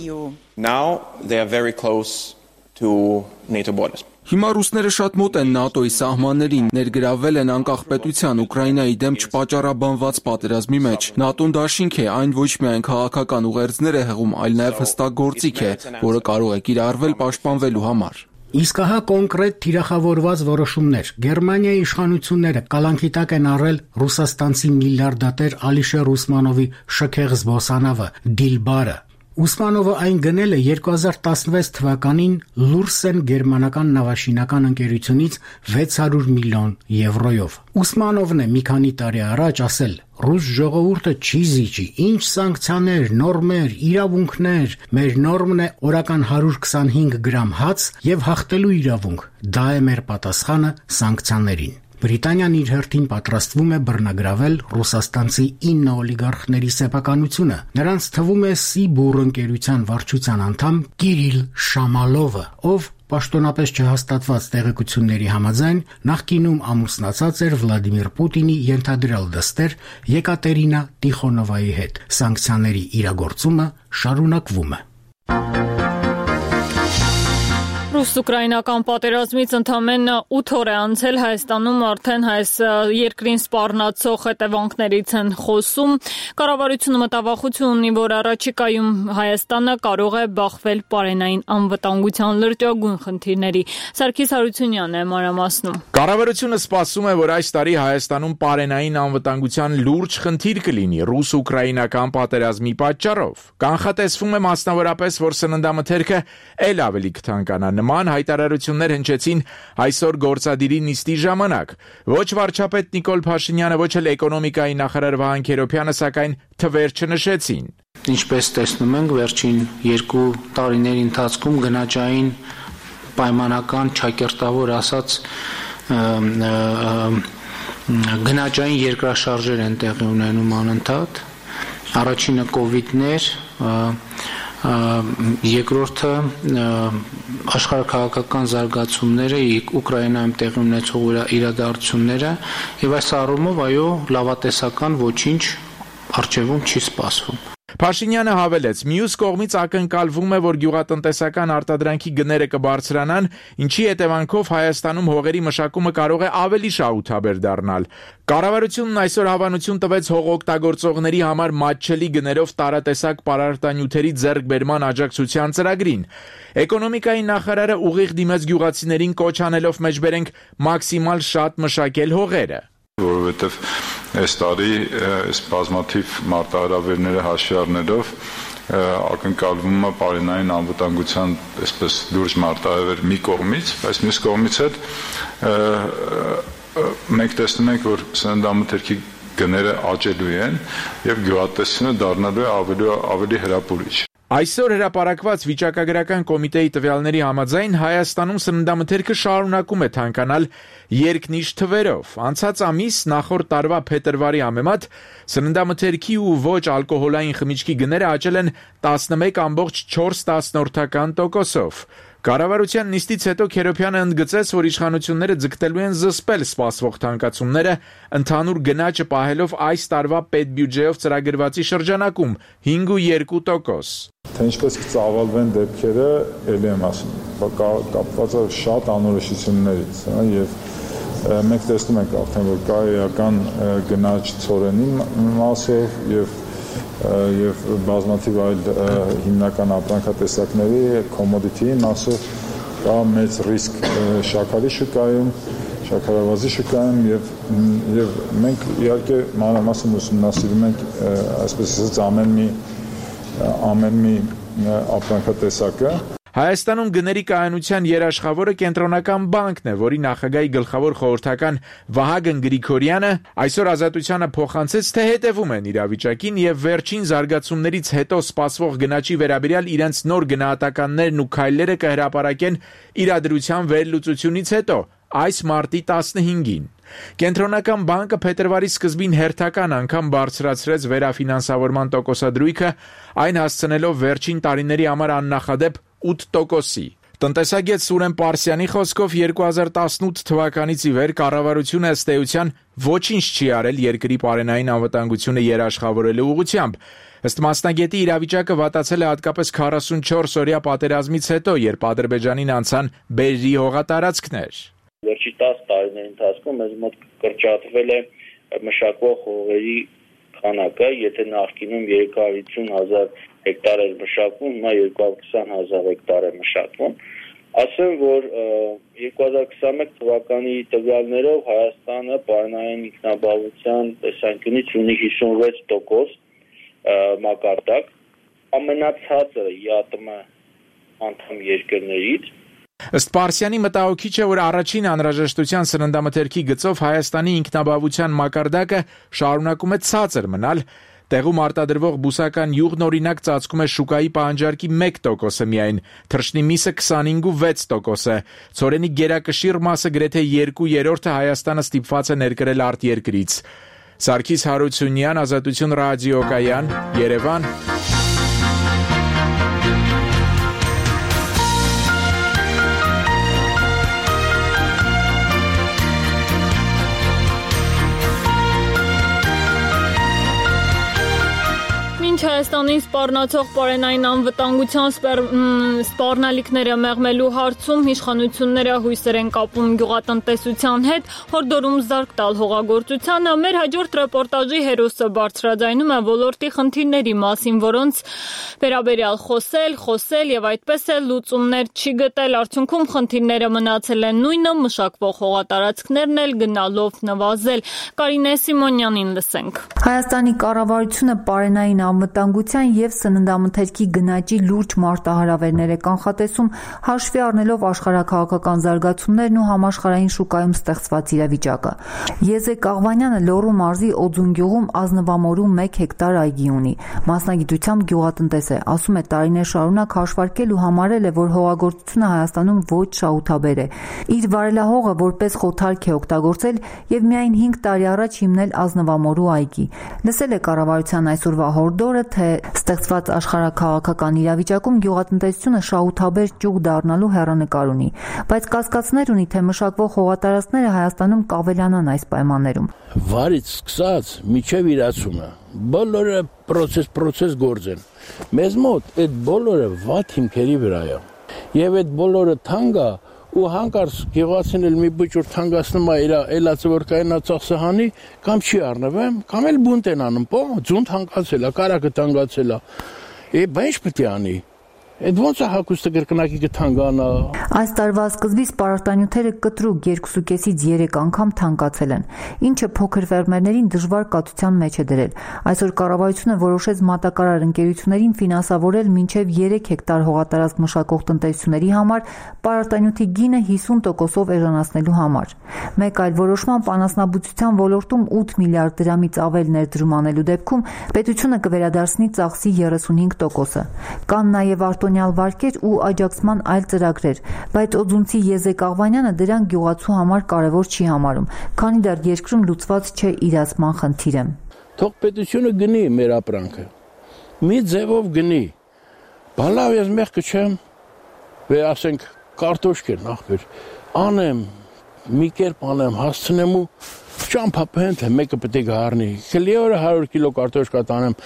Now they are very close to NATO borders. Հիմա ռուսները շատ մոտ են ՆԱՏՕ-ի սահմաններին, ներգրավվել են անկախ պետության Ուկրաինայի դեմ չպատճառաբանված պատերազմի մեջ։ ՆԱՏՕ-ն դաշինք է, այն ոչ միայն քաղաքական ուղերձներ է հղում, այլ նաև հստակ գործիք է, որը կարող է կիրառվել պաշտպանվելու համար։ Իսկ ահա կոնկրետ թիրախավորված որոշումներ։ Գերմանիայի իշխանությունները կալանքի տակ են առել ռուսաստանցի միլիարդատեր Ալիշեր Ուսմանովի շքեղ զբոսանավը Դիլբարը։ Ուսմանովը այն գնել է 2016 թվականին Լուրսեն գերմանական նավաշինական ընկերությունից 600 միլիոն եվրոյով։ Ուսմանովն է մի քանի տարի առաջ ասել. «Ռուս ժողովուրդը չի զիջի, ինչ սանկցիաներ, նորմեր, իրավունքներ, մեր նորմն է օրական 125 գրամ հաց եւ հաղթելու իրավունք։ Դա է մեր պատասխանը սանկցիաներին»։ Բրիտանիան իր հերթին պատրաստվում է բռնագրավել ռուսաստանցի 9 օլիգարխների սեփականությունը։ Նրանց թվում է Սիբուր ընկերության վարչության անդամ Կիրիլ Շամալովը, ով պաշտոնապես չհաստատված տեղեկությունների համաձայն նախկինում ամուսնացած էր Վլադիմիր Պուտինի ենթադրյալ դստեր Եկատերինա Տիխոնովայի հետ։ Սանկցիաների իրագործումը շարունակվում է։ Ռուս-ուկրաինական պատերազմից ընդամենը 8 օր է անցել, Հայաստանում արդեն այս երկրին սպառնացող հետևանքներից են խոսում։ Կառավարությունը մտավախություն ունի, որ առաջիկայում Հայաստանը կարող է բախվել պարենային անվտանգության լրջագույն խնդիրների։ Սարգիս Հարությունյանն է մանրամասնում։ Կառավարությունը սպասում է, որ այս տարի Հայաստանում պարենային անվտանգության լուրջ խնդիր կլինի ռուս-ուկրաինական պատերազմի պատճառով։ Կանխատեսվում է մասնավորապես, որ սննդամթերքը ել ավելի կթանկանա։ Նման հայտարարություններ հնչեցին այսօր գործադիրի նիստի ժամանակ։ Ոչ վարչապետ Նիկոլ Փաշինյանը, ոչ էլ էկոնոմիկայի նախարար Վահան Քերոբյանը, սակայն թվեր չնշեցին։ Ինչպես տեսնում ենք, վերջին 2 տարիների ընթացքում գնաճային պայմանական չակերտավոր ասած գնաճային երկրաշարժեր են տեղի ունենում անընդհատ։ Առաջինը կովիդն էր, երկրորդը աշխարհաքաղաքական զարգացումները, Ուկրաինայում տեղի ունեցող իրադարձությունները եւ այս առումով այո լավատեսական ոչինչ առջևում չի սպասվում։ Փաշինյանը հավելեց. մյուս կողմից ակնկալվում է, որ գյուղատնտեսական արտադրանքի գները կբարձրանան, ինչի հետևանքով Հայաստանում հողերի մշակումը կարող է ավելի շահութաբեր դառնալ։ Կառավարությունն այսօր հավանություն տվեց հողօգտագործողների համար մատչելի գներով տարատեսակ պարարտանյութերի ձեռքբերման աջակցության ծրագրին։ Էկոնոմիկայի նախարարը ուղիղ դիմեց գյուղացիներին կոչ անելով մեջբերենք մաքսիմալ շատ մշակել հողերը։ Որովհետև այս տարի այս բազմաթիվ մարտահրավերները հաշվի առնելով ակնկալվում է պարենային անվտանգության այսպես լուրջ մարտահրավեր մի կողմից, բայց մյուս կողմից հետ մենք տեսնում ենք, որ սննդամթերքի գները աճելու են եւ գյուղատնտեսությունը դառնալու է ավելի հրապուրիչ։ Այսօր հրապարակված վիճակագրական կոմիտեի տվյալների համաձայն Հայաստանում սննդամթերքը շարունակում է թանկանալ երկնիշ թվերով։ Անցած ամիս նախորդ տարվա փետրվարի համեմատ սննդամթերքի ու ոչ ալկոհոլային խմիչքի գները աճել են 11.4%-ով։ Կառավարության նիստից հետո Քերոբյանը ընդգծեց, որ իշխանությունները ձգտելու են զսպել սպասվող թանկացումները, ընդհանուր գնաճը պահելով այս տարվա պետբյուջեով ծրագրվածի շրջանակում 5.2%։ Թե ինչպես կծավալվեն դեպքերը, ելի եմ ասում, կապված է շատ անորոշություններից, եւ մենք տեսնում ենք արդեն, որ կա էական գնաճ ցորենի մասով եւ բազմաթիվ այլ հիմնական ապրանքատեսակների commodity-ի մասով կա մեծ ռիսկ շաքարի շուկայում, շաքարավազի շուկայում եւ մենք իհարկե մանրամասն ուսումնասիրում ենք այսպես ասած ամեն մի ապրանքատեսակը։ Հայաստանում գների կայունության երաշխավորը Կենտրոնական բանկն է, որի նախագահի գլխավոր խորհրդական Վահագն Գրիգորյանը այսօր Ազատությանը փոխանցեց, թե հետևում են իրավիճակին եւ վերջին զարգացումներից հետո սպասվող գնաճի վերաբերյալ իրենց նոր գնահատականներն ու քայլերը կհրապարակեն իրադրության վերլուծությունից հետո այս մարտի 15-ին։ Կենտրոնական բանկը փետրվարի սկզբին հերթական անգամ բարձրացրեց վերաֆինանսավորման տոկոսադրույքը, այն հասցնելով վերջին տարիների համար աննախադեպ 8%-ի։ Տնտեսագետ Սուրեն Պարսյանի խոսքով 2018 թվականից ի վեր կառավարությունը ըստ էության ոչինչ չի արել երկրի պարենային անվտանգությունը երաշխավորելու ուղղությամբ։ Ըստ մասնագետի իրավիճակը վատացել է հատկապես 44-օրյա պատերազմից հետո, երբ Ադրբեջանին անցան բերրի հողատարածքներ։ Վերջի 10 տարիների ընթացքում մեզ մոտ կրճատվել է մշակվող հողերի քանակը, եթե նախկինում 350,000 հեկտար էր մշակվում, հիմա 220,000 հեկտար է մշակվում։ Ասեմ, որ 2021 թվականի տվյալներով Հայաստանը պարենային ինքնաբավության տեսանկյունից ունի 56% մակարդակ, ամենացածրը ԵԱՏՄ անդամ երկրներից։ Ըստ Պարսյանի մտահոգիչ է, որ առաջին անհրաժեշտության սննդամթերքի գծով Հայաստանի ինքնաբավության մակարդակը շարունակում է ցածր մնալ, տեղում արտադրվող բուսական յուղն օրինակ ծածկում է շուկայի պահանջարկի 1%-ը միայն, թռչնի միսը 25.6%, ցորենի գերակշիռ մասը գրեթե 2/3 Հայաստանը ստիպված է ներկրել արտերկրից։ Սարգիս Հարությունյան, Ազատություն ռադիոկայան, Երևան։ Հայաստանին սպառնացող պարենային անվտանգության սպառնալիքները մեղմելու հարցում իշխանությունները հույսեր են կապում գյուղատնտեսության հետ, հորդորում զարկ տալ հողագործությանը։ Մեր հաջորդ ռեպորտաժի հերոսը բարձրաձայնում է ոլորտի խնդիրների մասին, որոնց վերաբերյալ խոսել եւ այդպես էլ լուծումներ չի գտել։ Արդյունքում խնդիրները մնացել են նույնը, մշակվող հողատարածքներն էլ գնալով նվազել։ Կարինե Սիմոնյանին լսենք։ Հայաստանի կառավարությունը պարենային անվտանգության եւ սննդամթերքի գնաճի լուրջ մարտահրավերներ է կանխատեսում, հաշվի առնելով աշխարհաքաղաքական զարգացումներն ու համաշխարհային շուկայում ստեղծված իրավիճակը։ Եզեկ Աղվանյանը Լոռու մարզի Օձուն գյուղում ազնվամորու 1 հեկտար այգի ունի։ Մասնագիտությամբ գյուղատնտես է, ասում է տարիներ շարունակ հաշվարկել ու համարել է, որ հողագործությունը Հայաստանում ոչ շահութաբեր է։ Իր վարելահողը որպես խոթարք է օգտագործել եւ միայն 5 տարի առաջ հիմնել ազնվամորու այգի։ Լսել է կառավարության այսօրվա հորդորը, թե ստեղծված աշխարհաքաղաքական իրավիճակում գյուղատնտեսությունը շահութաբեր ճյուղ դառնալու հեռանկար ունի, բայց կասկածներ ունի, թե մշակվող հողատարածքները Հայաստանում կավելանան այս պայմաններում։ Վարից սկսած միջև իրացումը բոլորը process գործ են։ Մեզ մոտ այդ բոլորը վատ հիմքերի վրա է։ Եվ այդ բոլորը թանկ է ու հանկարծ գյուղացին էլ մի բուջուր թանգացնում է իր ելածը որ կայնա ծախսահանի կամ չի առնվեմ կամ էլ բունտ են անում պո ձուն թանկացել է կարակը թանկացել է բա ինչ պետք է անի Այդ ոնց է հագուստը կրկնակի կթանկանա։ Այս տարվա սկզբից պարարտանյութերը կտրուկ 2.5-ից 3 անգամ թանկացել են, ինչը փոքր ֆերմերներին դժվար կաթության մեջ է դրել։ Այսօր կառավարությունը որոշեց մատակարար ընկերություններին ֆինանսավորել մինչև 3 հեկտար հողատարածք մշակող տնտեսությունների համար պարարտանյութի գինը 50%-ով էժանացնելու համար։ Մեկ այլ որոշմամբ անասնաբուծության ոլորտում 8 միլիարդ դրամից ավել ներդրում անելու դեպքում պետությունը կվերադարձնի ծախսի 35%-ը։ Կան նաև արտոնյալ վարկեր ու աջակցման այլ ծրագրեր, բայց օձունցի Եզեկ Աղվանյանը դրանք գյուղացու համար կարևոր չի համարում, քանի դեռ երկրում լուծված չէ իրացման խնդիրը։ Թող պետությունը գնի մեր ապրանքը։ Մի ձևով գնի։ Բալավ ես մեղքը չեմ, վե ասենք կարտոշք են ախպեր, անեմ, մի կերպ անեմ, հասցնեմ ու ճամփապեն թե մեկը պետք է գարնի։ Քելի օրը 100 կիլո կարտոշկա տանեմ,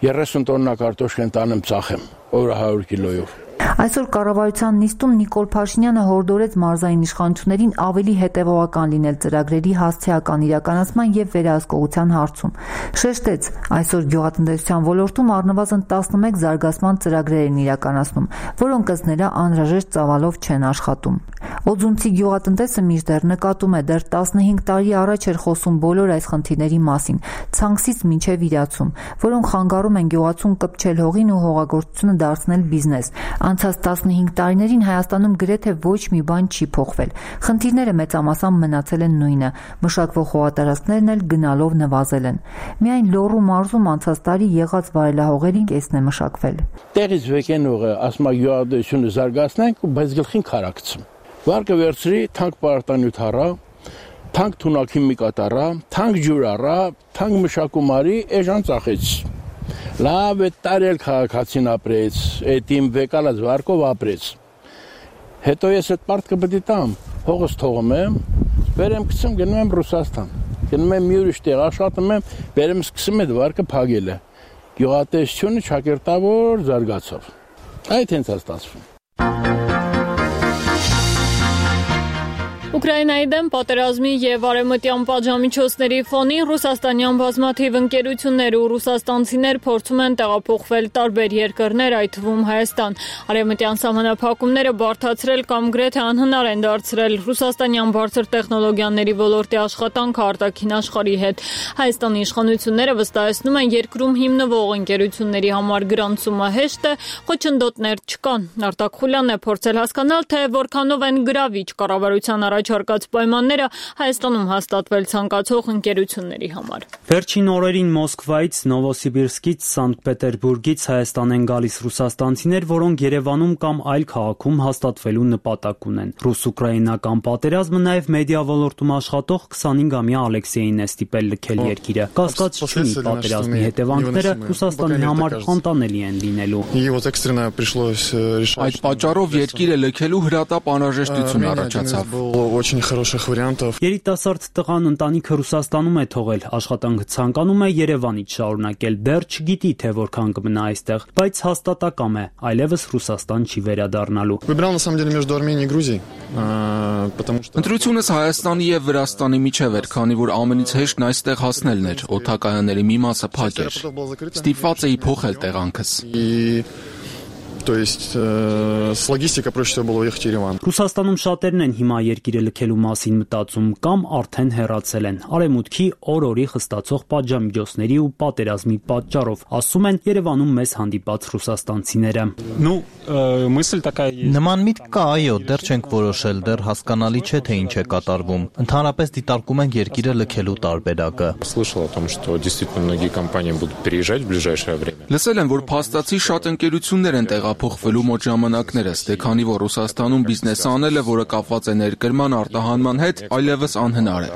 30 տոննա կարտոշկեն տանեմ ծախեմ, օրը 100 կիլոյով։ Այսօր կառավարության նիստում Նիկոլ Փաշինյանը հորդորեց մարզային իշխանություններին ավելի հետևողական լինել ծրագրերի հասցեական իրականացման եւ վերահսկողության հարցում։ Շեշտեց, այսօր գյուղատնտեսության ոլորտում առնվազն 11 զարգացման ծրագրեր են իրականացնում, որոնք ըստ նրա անհրաժեշտ ծավալով չեն աշխատում։ Օձունցի գյուղատնտեսը մինչդեռ նկատում է, դեռ 15 տարի առաջ էր խոսում բոլոր այս խնդիրների մասին, ցանքսից մինչև իրացում, որոնք խանգարում են գյուղացուն կպչել հողին ու հողագործությունը դարձնել բիզնես։ Անցած 15 տարիներին Հայաստանում գրեթե ոչ մի բան չի փոխվել։ Խնդիրները մեծամասամբ մնացել են նույնը, մշակվող հողատարածքներն էլ գնալով նվազել են։ Միայն Լոռու մարզում անցած տարի եղած վարելահողերին կեսն է մշակվել։ Տեղից վեկեն հողը, ասում է գյուղատնտեսությունը զարգացնենք, բայց գլխին քարակցում։ Վարկը վերցրի, թանկ պարարտանյութ առա, թանկ թունակիմիկ կատարա, թանկ ջուր առա, թանկ մշակում արի, էժան ծախեց։ Լավ է տարել քաղաքացին ապրեց, այդ իմ վեկալած վարկով ապրեց։ Հետո ես այդ պարտքը պետք է տամ, հողս թողում եմ, վերեմ գցեմ գնում եմ Ռուսաստան։ Գնում եմ մի ուրիշ տեղ աշխատում եմ, վերեմ սկսում այդ վարկը փակելը։ Գյուղատնտեսությունը ճակերտավոր զարգացավ։ Այդ հենց է ստացվում։ Ուկրաինայի դեմ պատերազմի եւ արևմտյան պատժամիջոցների ֆոնին ռուսաստանյան բազմաթիվ ընկերություններ ու ռուսաստանցիներ փորձում են տեղափոխվել տարբեր երկրներ, այդ թվում Հայաստան։ Արևմտյան սահմանափակումները բարդացրել կամ գրեթե անհնար են դարձրել ռուսաստանյան բարձր տեխնոլոգիաների ոլորտի աշխատանքը արտաքին աշխարհի հետ։ Հայաստանի իշխանությունները վստահեցնում են, երկրում հիմնվող ընկերությունների համար գրանցումը հեշտ է, խոչընդոտներ չկան։ Արտակ Խուլյանն է փորձել հասկանալ, թե որքանով են գրավիչ կառավարության առաջարկած պայմանները Հայաստանում հաստատվել ցանկացող ընկերությունների համար։ Վերջին օրերին Մոսկվայից, Նովոսիբիրսկից, Սանկտ Պետերբուրգից Հայաստան են գալիս ռուսաստանցիներ, որոնք Երևանում կամ այլ քաղաքում հաստատվելու նպատակ ունեն։ Ռուս-ուկրաինական պատերազմը նաև մեդիա ոլորտում աշխատող 25-ամյա Ալեքսեյին է ստիպել լքել երկիրը։ Կասկած չունի, պատերազմի հետևանքները Ռուսաստանի համար անտանելի են լինելու։ Այդ պատճառով երկիրը լքելու հրատապ անհրաժեշտություն առաջացավ։ Երիտասարդ տղան ընտանիքը Ռուսաստանում է թողել, աշխատանքը ցանկանում է Երևանից շարունակել, դեռ չգիտի, թե որքան կմնա այստեղ, բայց հաստատակամ է, այլևս Ռուսաստան չի վերադառնալու։ Ընտրությունս Հայաստանի եւ Վրաստանի միջև էր, քանի որ ամենից հեշտն այստեղ հասնելն էր, օդակայանների մի մասը փակ էր։ Ստիպված էի փոխել տեղանքս։ То есть с логистикой проще всего было ехать в Ереван. Ռուսաստանում շատերն են հիմա երկիրը լքելու մասին մտածում կամ արդեն հեռացել են։ Արևմուտքի օր-օրի խստացող պատժամիջոցների ու պատերազմի պատճառով, ասում են Երևանում մեզ հանդիպած ռուսաստանցիները։ Նման միտք կա, այո, դեռ չենք որոշել, դեռ հասկանալի չէ, թե ինչ է կատարվում։ Ընդհանրապես դիտարկում ենք երկիրը լքելու տարբերակը։ Լսել եմ, որ փաստացի շատ ընկերություններ են փոխվելու մոտ ժամանակներս, դե քանի որ Ռուսաստանում բիզնես անելը, որը կապված է ներկրման արտահանման հետ, այլևս անհնար է։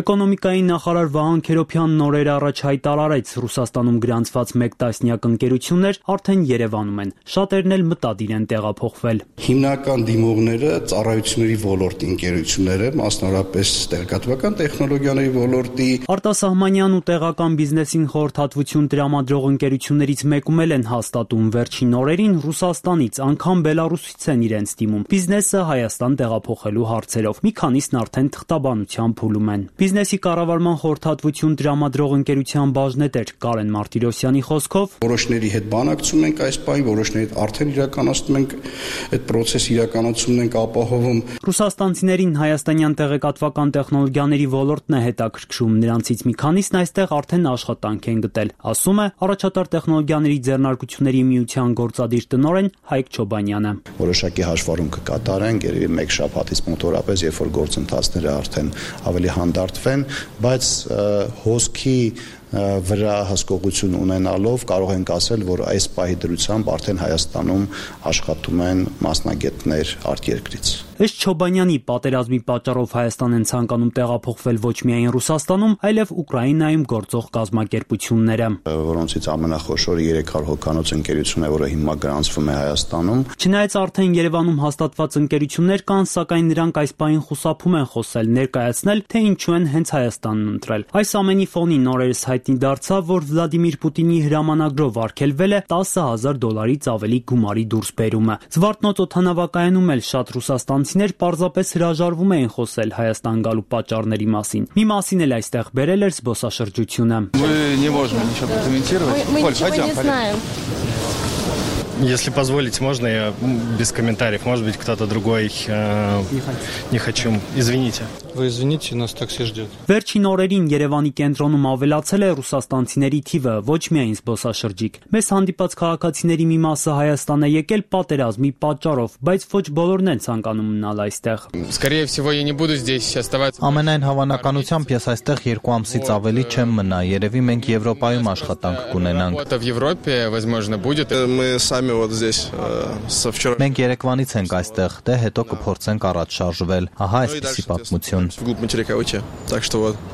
Էկոնոմիկայի նախարար Վահան Քերոբյանն օրեր առաջ հայտարարեց, Ռուսաստանում գրանցված 1 տասնյակ ընկերություններ արդեն Երևանում են, շատերն էլ մտադիր են տեղափոխվել։ Հիմնական դիմողները ծառայությունների ոլորտի ընկերությունները, մասնավորապես տեղեկատվական տեխնոլոգիաների ոլորտի։ Արտասահմանյան ու տեղական բիզնեսին խորհրդատվություն տրամադրող ընկերություններից մեկում են հաստատում վերջին օրերին Ռուսաստանից, անգամ Բելարուսից են իրենց դիմում։ Բիզնեսը Հայաստան տեղափոխելու հարցերով։ Մի քանիսն արդեն թղթաբանության փուլում են։ Բիզնեսի կառավարման խորհրդատվություն տրամադրող ընկերության բաժնետեր Կարեն Մարտիրոսյանի խոսքով որոշների հետ բանակցում ենք այս պահին, որոշների հետ արդեն իրականացնում ենք այդ process-ը իրականացումն ենք ապահովում։ Ռուսաստանցիներին հայաստանյան տեղեկատվական տեխնոլոգիաների ոլորտն է հետաքրքրում, նրանցից մի քանիսն այստեղ արդեն աշխատանք են գտել, ասում է Առաջատար տեխնոլոգիաների ձեռնարկությունների միության գործադիր տնօրեն Հայկ Չոբանյանը։ Որոշակի հաշվառում կկատարենք, երևի մեկ շաբաթից մոտորապես, երբ որ գործընթացները արդեն ավելի հանդարտվեն, բայց հոսքի վրա հսկողություն ունենալով կարող ենք ասել, որ այս պահի դրությամբ արդեն Հայաստանում աշխատում են մասնագետներ արտերկրից։ Ըստ Չոբանյանի, պատերազմի պատճառով Հայաստան են ցանկանում տեղափոխվել ոչ միայն Ռուսաստանում, այլև Ուկրաինայում գործող կազմակերպությունները, որոնցից ամենախոշորը 300 հոգանոց ընկերություն է, որը հիմա գրանցվում է Հայաստանում։ Չնայած արդեն Երևանում հաստատված ընկերություններ կան, սակայն նրանք այս պահին խուսափում են խոսել, ներկայացնել, թե ինչու են հենց Հայաստանն ընտրել։ Այս ամենի ֆոնին նորերս հայտնի դարձավ, որ Վլադիմիր Պուտինի հրամանագրով արգելվել է $10,000-ից ավելի գումարի դուրսբերումը։ Զվարթնոց օդանավակայանում էլ շատ ռուսաստանցիներ պարզապես հրաժարվում էին խոսել Հայաստան գալու պատճառների մասին։ Մի մասին էլ այստեղ բերել էր զբոսաշրջությունը։ Если позволите, можно я без комментариев? Может быть, кто-то другой не хочу. Извините. Вы извините, нас такси ждет. Վերջին օրերին Երևանի կենտրոնում ավելացել է ռուսաստանցիների թիվը, ոչ միայն զբոսաշրջիկ։ Մեզ հանդիպած քաղաքացիների մի մասը Հայաստան է եկել պատերազմի պատճառով, բայց ոչ բոլորն են ցանկանում մնալ այստեղ։ Скорее всего, я не буду здесь оставаться. Ամենայն հավանականությամբ ես այստեղ 2 ամսից ավելի չեմ մնա։ Երևի մենք Եվրոպայում աշխատանք կունենանք։ В Европе, возможно, будет. Мы сами Մենք Երևանից ենք այստեղ, դե հետո կփորձենք առաջ շարժվել։ Ահա այսպիսի պատմություն։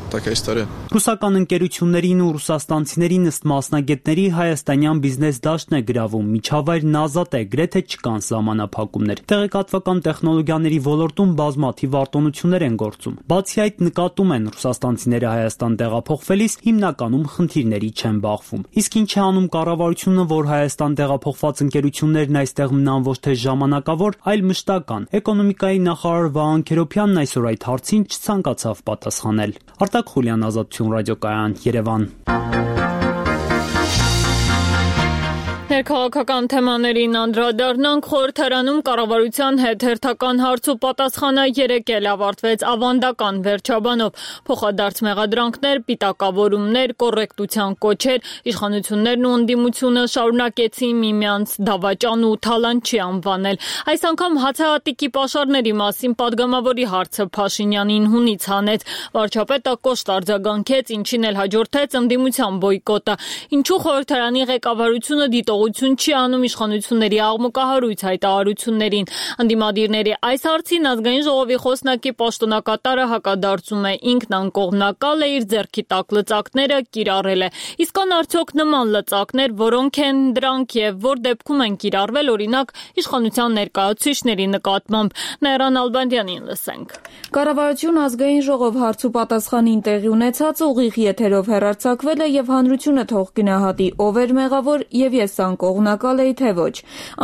Ռուսական ընկերություններին ու ռուսաստանցիներին ըստ մասնագետների հայաստանյան բիզնես դաշտն է գրավում, միջավայրն ազատ է, գրեթե չկան սահմանափակումներ։ Տեղեկատվական տեխնոլոգիաների ոլորտում բազմաթիվ արտոնություններ են գործում։ Բացի այդ, նկատում են ռուսաստանցիները Հայաստան տեղափոխվելիս հիմնականում խնդիրների չեն բախվում։ Իսկ ինչ է անում կառավարությունը, որ Հայաստան տեղափոխված ընկերություններն այստեղ մնան ոչ թե ժամանակավոր, այլ մշտական։ Էկոնոմիկայի նախարար Վահան Քերոբյանն այսօր այդ հարցին չցանկացավ պատասխանել։ Արտակ Խուլյան, Ազատություն ռադիոկայան, Երևան։ Ներքաղաքական թեմաներին անդրադառնանք, խորհրդարանում կառավարության հետ հերթական հարց ու պատասխանը երեկ էլ ավարտվեց ավանդական վերջաբանով։ Փոխադարձ մեղադրանքներ, պիտակավորումներ, կոռեկտության կոչեր, իշխանություններն ու ընդդիմությունը շարունակեցին միմյանց դավաճան ու թալանչի անվանել։ Այս անգամ հացահատիկի պաշարների մասին падգամավորի հարցը Փաշինյանին հունից հանեց։ Վարչապետը կոշտ արձագանքեց, ինչին էլ հաջորդեց ընդդիմության բոյկոտը։ Ինչու խորհրդարանի ղեկավարությունը դիտողություն չի անում իշխանությունների աղմուկահարույց հայտարարություններին։ Ընդդիմադիրների այս հարցին ազգային ժողովի խոսնակի պաշտոնակատարը հակադարձում է, ինքն անկողմնակալ է, իր ձեռքի տակ լծակները կիրառել է։ Իսկ կան արդյոք նման լծակներ, որոնք են դրանք եւ որ դեպքում են կիրառվել, օրինակ իշխանության ներկայացուցիչների նկատմամբ։ Նաիրան Ալբանդյանին լսենք։ Կառավարություն ազգային ժողով հարց ու պատասխանին տեղի ունեցած ուղիղ եթերով հեռարձակվել է եւ հանրությունը թող գնահատի ով էր մեղավոր եւ ես անկողմնակալ էի թե ոչ։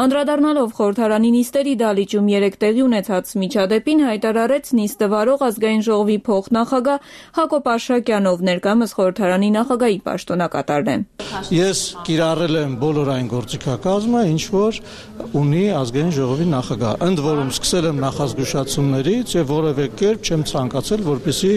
Անդրադառնալով խորհրդարանի նիստերի դալիճում երեկ տեղի ունեցած միջադեպին հայտարարեց նիստը վարող ազգային ժողովի փոխնախագահ Հակոբ Արշակյանով, ներկայումս խորհրդարանի նախագահի պաշտոնակատարն է։ Ես կիրառել եմ բոլոր այն գործիքակազմը, ինչ որ ունի ազգային ժողովի նախագահ։ Ընդ որում սկսել եմ նախազգուշացումներից եւ որևէ կերպ չեմ ցանկացել, որպեսզի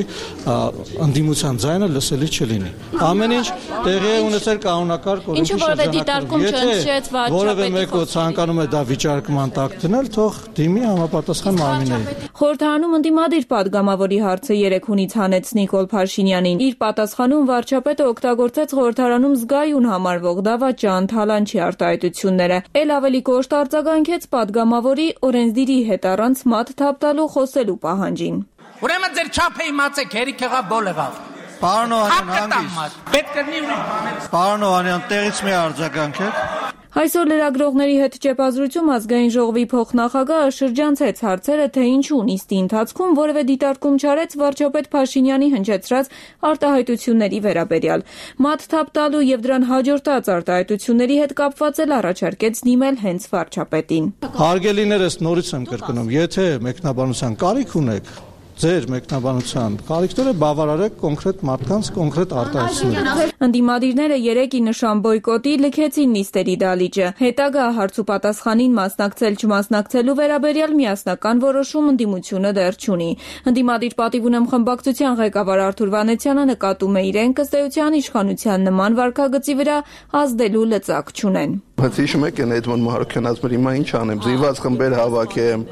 ընդդիմության ձայնը լսելի չլինի։ Ամեն ինչ տեղի է ունեցել կանոնակարգ օրենքի շրջանակում։ Եթե որևէ մեկը ցանկանում է դա վիճարկման տակ դնել, թող դիմի համապատասխան մարմիններին։ Խորհրդարանում ընդդիմադիր падգամավորի հարցը երեկ հունից հանեց Նիկոլ Փաշինյանին։ Իր պատասխանում վարչապետը օգտագործեց խորհրդարանում զգայուն համարվող դավաճան, թալանչի արտահայտությունները։ Էլ ավելի կոշտ արձագանքեց падգամավորի օրենսդիրի հետ առանց մատ թափ տալու խոսելու պահանջին։ Ուրեմն ձեր չափը իմացեք, հերիք եղավ, բոլ եղավ։ Պարոն Օհանյան, հանգիստ։ Պետք կրնի ուրիշ բաներ։ Պարոն Օհանյան, տեղից մի արձագանքեք։ Այսօր լրագրողների հետ ճեպազրույցում ազգային ժողովի փոխնախագահը շրջանցեց հարցերը, թե ինչու նիստի ընթացքում որևէ դիտարկում չարեց վարչապետ Փաշինյանի հնչեցրած արտահայտությունների վերաբերյալ։ Մատ թափ տալու եւ դրան հաջորդած արտահայտությունների հետ կապված էլ առաջարկեց դիմել հենց վարչապետին։ Հարգելիներս, նորից եմ կրկնում, եթե մեկնաբանության կարիք ունեք, ձեր մեկնաբանության կարիքները բավարարեք կոնկրետ մարդկանց կոնկրետ արտահայտություններ։ Ընդդիմադիրները երեկ ի նշան բոյկոտի լքեցին նիստերի դալիճը։ Հետագա հարց ու պատասխանին մասնակցել չմասնակցելու վերաբերյալ միասնական որոշում ընդդիմությունը դեռ չունի։ Ընդդիմադիր պատիվ ունեմ խմբակցության ղեկավար Արթուր Վանեցյանը նկատում է իրեն ըստ էության իշխանության նման վարքագծի վրա ազդելու լծակ չունեն։ Բայց հիշում եք այն Էդմոն Մահարոկյան ասում էր հիմա ինչ անեմ, զիված խմբեր հավաքեմ,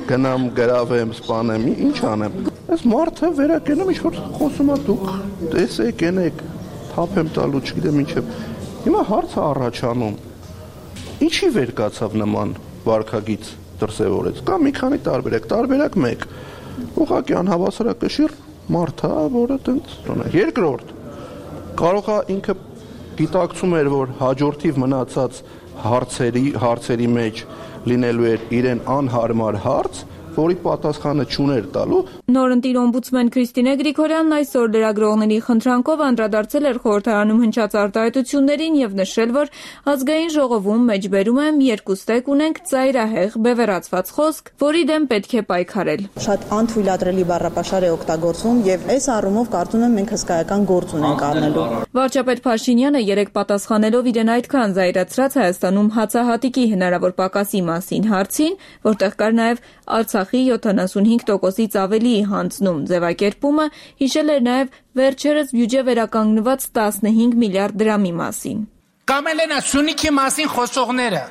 գնամ գրավեմ, սպանեմ, ինչ անեմ։ Այս մարդը վերակենում ինչ որ խոսում է դուք, տեսեք, ենեք, թափ եմ տալու, չգիտեմ ինչ եմ։ Հիմա հարցը առաջանում։ Ինչի վեր կացավ նման վարքագիծ դրսևորեց։ Կա մի քանի տարբերակ 1։ Ուղղակի անհավասարակշիռ մարդ է, որը տենց։ Երկրորդ, կարող է ինքը գիտակցում էր, որ հաջորդիվ մնացած հարցերի մեջ լինելու էր իրեն անհարմար հարց, որի պատասխանը չուներ տալու։ Նորընտիր օմբուդսմեն Քրիստինե Գրիգորյանն այսօր լրագրողների խնդրանքով անդրադարձել էր խորհրդարանում հնչած արտահայտություններին եւ նշել, որ ազգային ժողովում մեջբերում եմ երկուստեք ունենք ծայրահեղ բևեռացված խոսք, որի դեմ պետք է պայքարել։ Շատ անթույլատրելի բառապաշար է օգտագործվում եւ այս առումով կարծում եմ մենք հսկայական գործ ունենք առնելու։ Վարչապետ Փաշինյանը երեկ պատասխանելով իրեն այդքան զայրացրած Հայաստանում հացահատիկի հնարավոր պակասի մասին հարցին, որտեղ կար նաեւ Արցախի 75%-ից ավելիի հանձնում ձևակերպումը, հիշել էր նաև վերջերս բյուջե վերականգնված 15 միլիարդ դրամի մասին։ Կամ էլ Սյունիքի մասին խոսողները։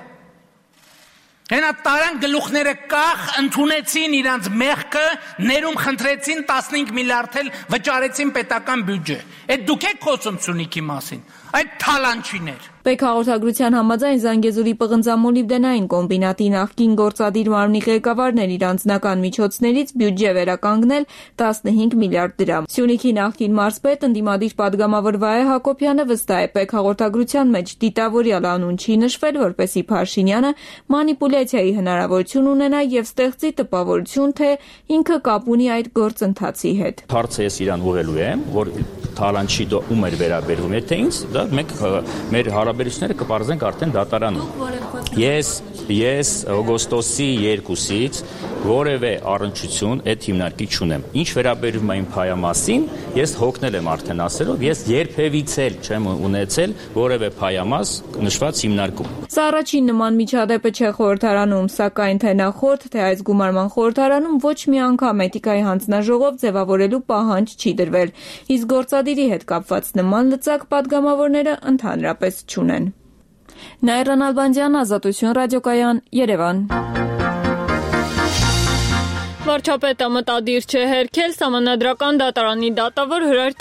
Հենա տարան գլուխները կախ ընդունեցին իրանց մեղքը, ներում խնդրեցին 15 միլիարդ էլ վճարեցին պետական բյուջե։ Այդ դուք եք խոսում Սյունիքի մասին, այդ թալանչիներ։ Բեք հաղորդագրության համաձայն Զանգեզուրի պղնձամոլիբդենային կոմբինատի նախկին գործադիր մարմնի ղեկավարներ իր անձնական միջոցներից բյուջե վերականգնել 15 միլիարդ դրամ։ Սյունիքի նախկին մարզպետ ընդդիմադիր պատգամավոր Վահե Հակոբյանը վստահ է, Բեք հաղորդագրության մեջ դիտավորյալ անուն չի նշվել, որպեսզի Փաշինյանը մանիպուլյացիայի հնարավորություն ունենա եւ ստեղծի տպավորություն, թե ինքը կապ ունի այդ գործընթացի հետ։ Հարցը ես իրան ուղղելու եմ, որ Թալանչիդը ում էր վերաբերվում, եթե ինձ, դա մենք մեր հարաբերությունները կպարզենք արդեն դատարանում։ Ես օգոստոսի 2-ից որևէ առնչություն այդ հիմնարկի չունեմ։ Ինչ վերաբերում է իմ փայամասին, ես հոգնել եմ արդեն ասելով, ես երբևից էլ չեմ ունեցել որևէ փայամաս նշված հիմնարկում։ Սա առաջին նման միջադեպը չէ խորհրդարանում, սակայն թե նախորդ, թե այս գումարման խորհրդարանում ոչ մի անգամ էթիկայի հանձնաժողով ձևավորելու պահանջ չի դրվել, իսկ գործադիրի հետ կապված նման լծակ պատգամավորները ընդհանրապես չունեն։ Նաիրա Նալբանդյան, Ազատություն ռադիոկայան, Երևան։ Վարչապետը մտադիր չէ հերքել Սահմանադրական դատարանի դատավոր Հրայր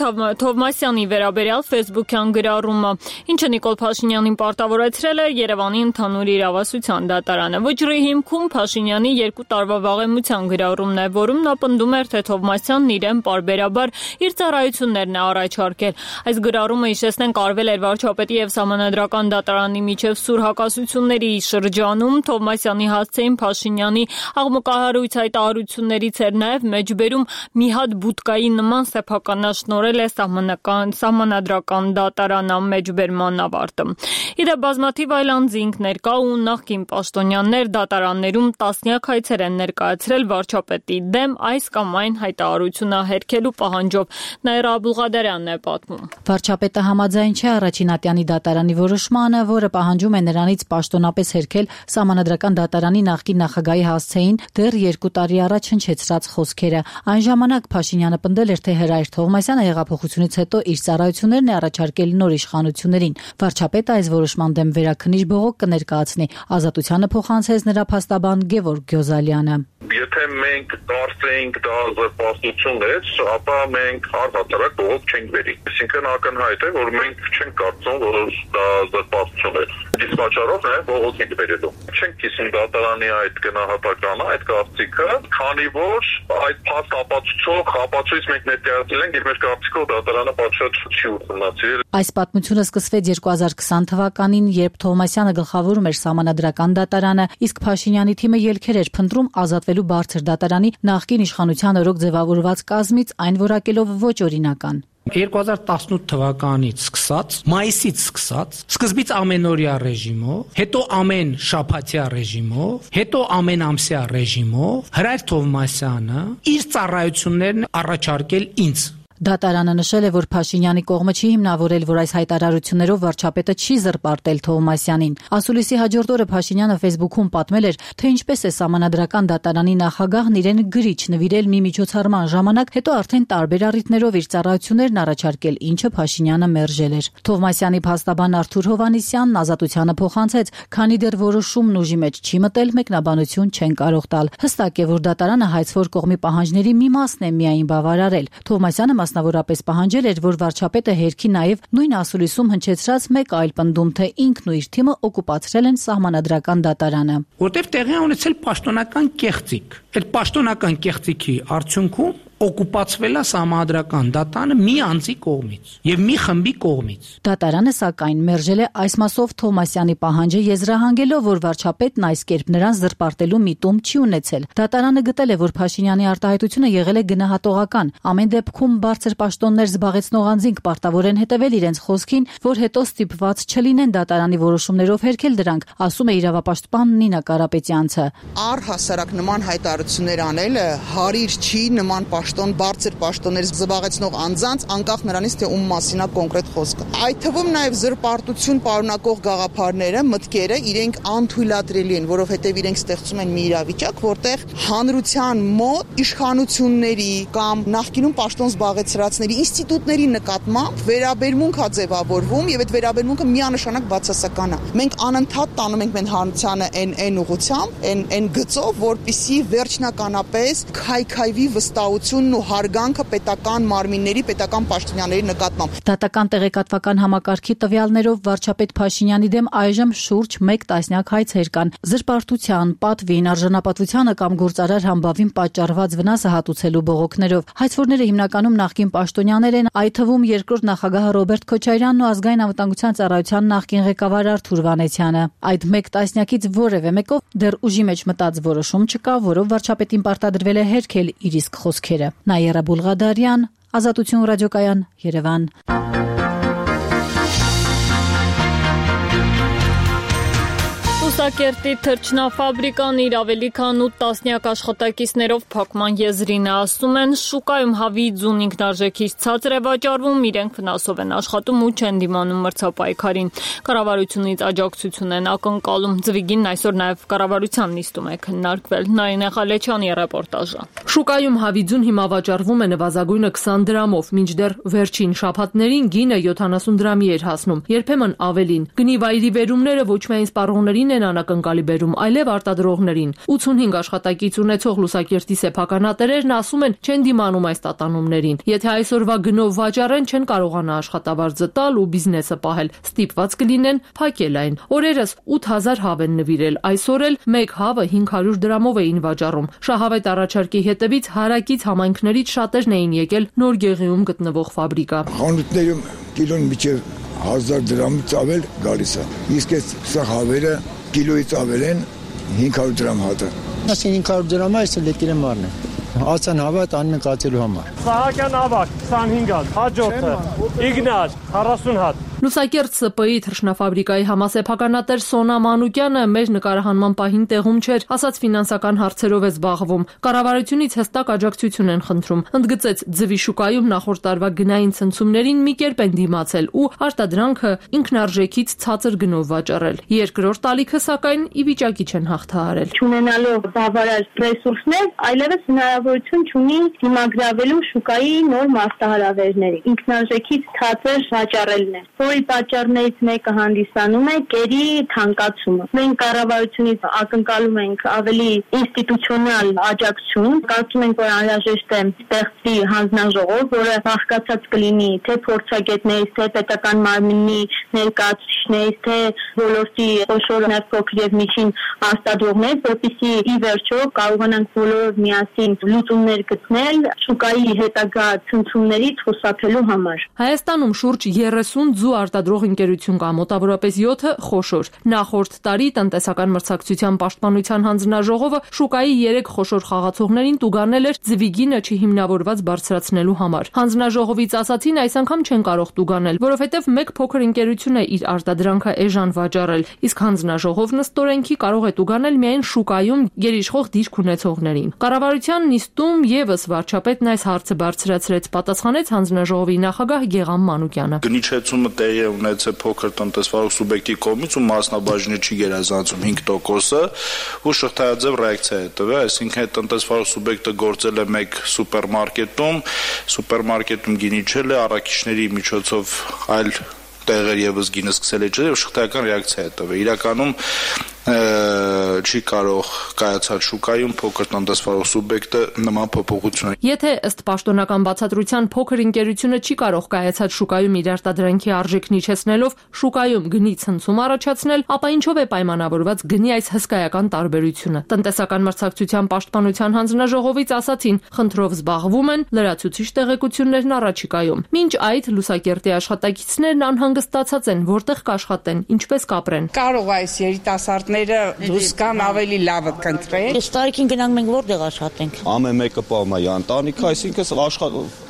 Թովմասյանի վերաբերյալ ֆեյսբուքյան գրառումը, ինչը Նիկոլ Փաշինյանին պարտավորեցրել է Երևանի ընդհանուր իրավասության դատարանը։ Վճռի հիմքում Փաշինյանի 2 տարվա վաղեմության գրառումն է, որում նա պնդում էր, թե Թովմասյանն իրեն պարբերաբար իր ծառայություններն է առաջարկել։ Այս գրառումը, հիշեցնենք, արվել էր վարչապետի եւ Սահմանադրական դատարանի միջև սուր հակասությունների շրջանում։ Թովմասյանի հասցեին Փաշինյանի աղմկահարույց հայտարարություններից էր նաև մեջբերում մի հատ բուտկայի նման սեփականաշնորել է Սահմանադրական դատարան մեջբերման ավարտը։ Իդեպ բազմաթիվ այլ անձինք ներկա ու նախկին պաշտոնյաներ դատարաններում տասնյակ հայցեր են ներկայացրել վարչապետի դեմ այս կամ այն հայտարարությունը հերքելու պահանջով։ Նաիրա Աբուլղադարյանն է պատմում։ Վարչապետը համաձայն չէ Առաջինատյանի դատարանի որոշմանը, որը պահանջում է նրանից պաշտոնապես հերքել Սահմանադրական դատարանի նախկին նախագահի հասցեին դեռ 2 տարի առաջ հնչեցրած խոսքերը։ Այն ժամանակ Փաշինյանը պնդել էր, թե Հրայր Թովմասյանը հեղափոխությունից հետո իր ծառայություններն է առաջարկել նոր իշխանություններին։ Վարչապետը այս որոշման դեմ վերաքննիչ բողոք կներկայացնի։ Ազատությանը փոխանցեց նրա փաստաբան Գևորգ Գյոզալյանը։ Եթե մենք կարծեինք դա զրպարտություն է, ապա մենք առհասարակ բողոք չենք բերի։ Այսինքն ակնհայտ է, որ մենք չենք կարծում, որ դա զրպարտություն է։ Իսկ պատճառով է բողոք ենք բերելու։ Չենք կիսում դատարանի այդ գնահատականը, այդ կարծիքը, քանի որ այդ փաստ ապացույց մենք ներկայացրել ենք, եւ մեր կարծիքով դատարանը պատշաճ չի ուսումնասիրել։ Այս պատմությունը սկսվեց 2020 թվականին, երբ Թովմասյանը գլխավորում էր Սահմանադրական դատարանը, իսկ Փաշինյանի թիմը ելքեր էր փնտրում ազատվելու բարձր դատարանի նախկին իշխանության օրոք ձևավորված կազմից, այն որակելով ոչ օրինական։ 2018 թվականից սկսած, մայիսից սկսած, սկզբից ամենօրյա ռեժիմով, հետո ամեն շաբաթյա ռեժիմով, հետո ամեն ամսյա ռեժիմով Հրայր Թովմասյանը իր ծառայություններն առաջարկել ինձ։ Դատարանը նշել է, որ Փաշինյանի կողմը չի հիմնավորել, որ այս հայտարարություններով վարչապետը չի զրպարտել Թովմասյանին։ Ասուլիսի հաջորդ օրը Փաշինյանը Facebook-ում պատմել էր, թե ինչպես է Սահմանադրական դատարանի նախագահն իրեն գրիչ նվիրել մի միջոցառման ժամանակ, հետո արդեն տարբեր առիթներով իր ծառայություններն առաջարկել, ինչը Փաշինյանը մերժել էր։ Թովմասյանի փաստաբան Արթուր Հովհաննիսյանն Ազատությանը փոխանցեց, քանի դեռ որոշումն ուժի մեջ չի մտել, մեկնաբանություն չեն կարող տալ։ Հստակ է, որ դատարանը հայցվոր կողմի պահանջների մի մասն է միայն բավարարել։ Թովմասյանը մասնավորապես պահանջել էր, որ վարչապետը հերքի նաև նույն ասուլիսում հնչեցրած մեկ այլ պնդում, թե ինքն ու իր թիմը օկուպացրել են Սահմանադրական դատարանը։ Որտեղ տեղի ունեցել պաշտոնական կեղծիք։ Այդ պաշտոնական կեղծիքի արդյունքում օկուպացվել է Սահմանադրական դատարանը մի անձի կողմից եւ մի խմբի կողմից։ Դատարանը սակայն մերժել է այս մասով Թովմասյանի պահանջը, եզրահանգելով, որ վարչապետն այս կերպ նրան զրպարտելու միտում չի ունեցել։ Դատարանը գտել է, որ Փաշինյանի արտահայտությունը եղել է գնահատողական։ Ամեն դեպքում բարձր պաշտոններ զբաղեցնող անձինք պարտավոր են հետևել իրենց խոսքին, որ հետո ստիպված չլինեն դատարանի որոշումներով հերքել դրանք, ասում է իրավապաշտպան Նինա Կարապետյանցը։ Առհասարակ նման հայտարարություններ անելը հարիր չի նման բարձր պաշտոններ զբաղեցնող անձանց, անկախ նրանից, թե ում մասին է կոնկրետ խոսքը։ Այդ թվում նաև զրպարտություն պարունակող գաղափարները, մտքերը իրենք անթույլատրելի են, որովհետև իրենք ստեղծում են մի իրավիճակ, որտեղ հանրության մոտ իշխանությունների կամ նախկինում պաշտոն զբաղեցրածների ինստիտուտների նկատմամբ վերաբերմունք է ձևավորվում եւ այդ վերաբերմունքը միանշանակ բացասական է։ Մենք անընդհատ տանում ենք մեր հանրությանը այն ուղղությամբ, այն գծով, որպիսի վերջնականապես քայքայվի վստահություն լրացությունն ու հարգանքը պետական մարմինների, պետական պաշտոնյաների նկատմամբ։ Դատական տեղեկատվական համակարգի տվյալներով վարչապետ Փաշինյանի դեմ այժմ շուրջ 1 տասնյակ հայցեր կան։ Զրպարտության, պատվին, արժանապատվությանը կամ գործարար համբավին պատճառված վնասը հատուցելու բողոքներով։ Հայցվորները հիմնականում նախկին պաշտոնյաներ են, այդ թվում երկրորդ նախագահ Ռոբերտ Քոչարյանն ու ազգային անվտանգության ծառայության նախկին ղեկավար Արթուր Վանեցյանը։ Այդ 1 տասնյակից որևէ մեկով դեռ ուժի մեջ մտած որոշում չկա, որով վարչապետին պարտադրվել է հերքել իր իսկ խոսքերը։ Նաիրա Բուլղադարյան, Ազատություն ռադիոկայան, Երևան։ Լուսակերտի թռչնաֆաբրիկան իր ավելի քան 8 տասնյակ աշխատակիցներով փակման եզրին է, ասում են, շուկայում հավի ձուն ինքնարժեքից ցածր է վաճառվում, իրենք վնասով են աշխատում ու չեն դիմանում մրցապայքարին։ Կառավարությունից աջակցություն են ակնկալում։ Ձվիգինն այսօր նաև կառավարության նիստում է քննարկվել։ Նարինե Խալեչյանի ռեպորտաժը։ Շուկայում հավի ձուն հիմա վաճառվում է նվազագույնը 20 դրամով, մինչդեռ վերջին շաբաթներին գինը 70 դրամի էր հասնում, երբեմն ավելին։ Գնի վայրի վերումները ոչ միայն սպառողներին են անակնկալի բերում, այլև արտադրողներին։ 85 աշխատակից ունեցող Լուսակերտի սեփականատերերն ասում են, չեն դիմանում այս տատանումներին։ Եթե այսօրվա գնով վաճառեն, չեն կարողանա աշխատավարձը տալ ու բիզնեսը պահել, ստիպված կլինեն փակել այն։ Օրերս 8000 հավ են նվիրել, այսօր էլ 1 հավը 500 դրամով էին վաճառում։ Շահավետ առաջարկի հետևից հարակից համայնքներից շատերն էին եկել Նոր Գեղիում գտնվող ֆաբրիկա։ Խանութներում կիլոն միջև 1000 դրամից ավել գալիս է։ Իսկ այս հավերը կիլոից ավել են 500 դրամ հատը։ Ասեն 500 դրամը այս լեկիրը մարն է։ Ացան հավատ անմեն կացելու համար։ Սահակյան ավակ 25 հատ, հաջորդը Իգնաց 40 հատ։ Լուսակերտ ՍՊ-ի թռչնաֆաբրիկայի համասեփականատեր Սոնա Մանուկյանը մեր նկարահանման պահին տեղում չէր, ասաց ֆինանսական հարցերով է զբաղվում։ Կառավարությունից հստակ աջակցություն են խնդրում։ Ընդգծեց, ձվի շուկայում նախորդ տարվա գնային ցնցումներին մի կերպ են դիմացել ու արտադրանքը ինքնարժեքից ցածր գնով վաճառել։ Երկրորդ ալիքը սակայն ի վիճակի չեն հաղթահարել։ Չունենալով բավարար ռեսուրսներ, այլևս հնարավորություն չունի դիմագրավելու շուկայի նոր մարտահրավերների։ Ինքնարժեքից ցածր վաճառելն է, որի պատճառներից մեկը հանդիսանում է կերի թանկացումը։ Մենք կառավարությունից ակնկալում ենք ավելի ինստիտուցիոնալ աջակցություն, կարծում ենք, որ անհրաժեշտ է ստեղծվի հանձնաժողով, որը բաղկացած կլինի թե փորձագետներից, թե պետական մարմինի ներկայացուցիչներից, թե ոլորտի խոշոր փոքր եւ միջին արտադրողներից, որպեսզի ի վերջո կարողանանք բոլորով միասին լուծումներ գտնել շուկայի հետագա ցնցումներից խուսափելու համար։ Հայաստանում շուրջ 30 ձու արտադրող ընկերություն կա, մոտավորապես 7-ը խոշոր։ Նախորդ տարի տնտեսական մրցակցության պաշտպանության հանձնաժողովը շուկայի 3 խոշոր խաղացողներին տուգանել էր ձվիգինը չհիմնավորված բարձրացնելու համար։ Հանձնաժողովից ասացին, այս անգամ չեն կարող տուգանել, որովհետև մեկ փոքր ընկերություն է իր արտադրանքը էժան վաճառել, իսկ հանձնաժողովն ըստ օրենքի կարող է տուգանել միայն շուկայում գերիշխող դիրք ունեցողներին։ Կառավարության նիստում եւս վարչապետն այս հարցը բարձրացրեց, պատասխանեց հանձնաժողովի նախագահ Գեգամ Մանուկյանը։ Գնիչեցումը տեղի է ունեցել փոքր տնտեսվարող սուբյեկտի կողմից ու մասնաբաժինը չի գերազանցում 5%-ը ու շղթայաձև ռեակցիա է տվել, այսինքն այդ տնտեսվարող սուբյեկտը գործել է մեկ սուպերմարկետում գինիչել է, առաքիչների միջոցով այլ տեղեր եւս գինը սկսել է ջրել եւ շղթայական ռեակցիա է տվել։ Իրականում չի կարող կայացած շուկայում փոքր տնտեսվարող սուբյեկտը նման փոփոխություն։ Եթե ըստ պաշտոնական բացատրության փոքր ընկերությունը չի կարող կայացած շուկայում իր արտադրանքի արժեքն իջեցնելով շուկայում գնի ցնցում առաջացնել, ապա ինչով է պայմանավորված գնի այս հսկայական տարբերությունը։ Տնտեսական մրցակցության պաշտպանության հանձնաժողովից ասացին, խնդրով զբաղվում են, լրացուցիչ տեղեկություններն առաջիկայում։ Մինչ այդ Լուսակերտի աշխատակիցներն անհանգստացած են, որտեղ կաշխատեն, ինչպես կապրեն։ Կարող այս երիտասարդները դուրս գան ավելի լավը կընտրեն։ Այս տարիքին գնանք մենք որտեղ աշխատենք։ Ամեն մեկը պահում է ընտանիքը, այսինքն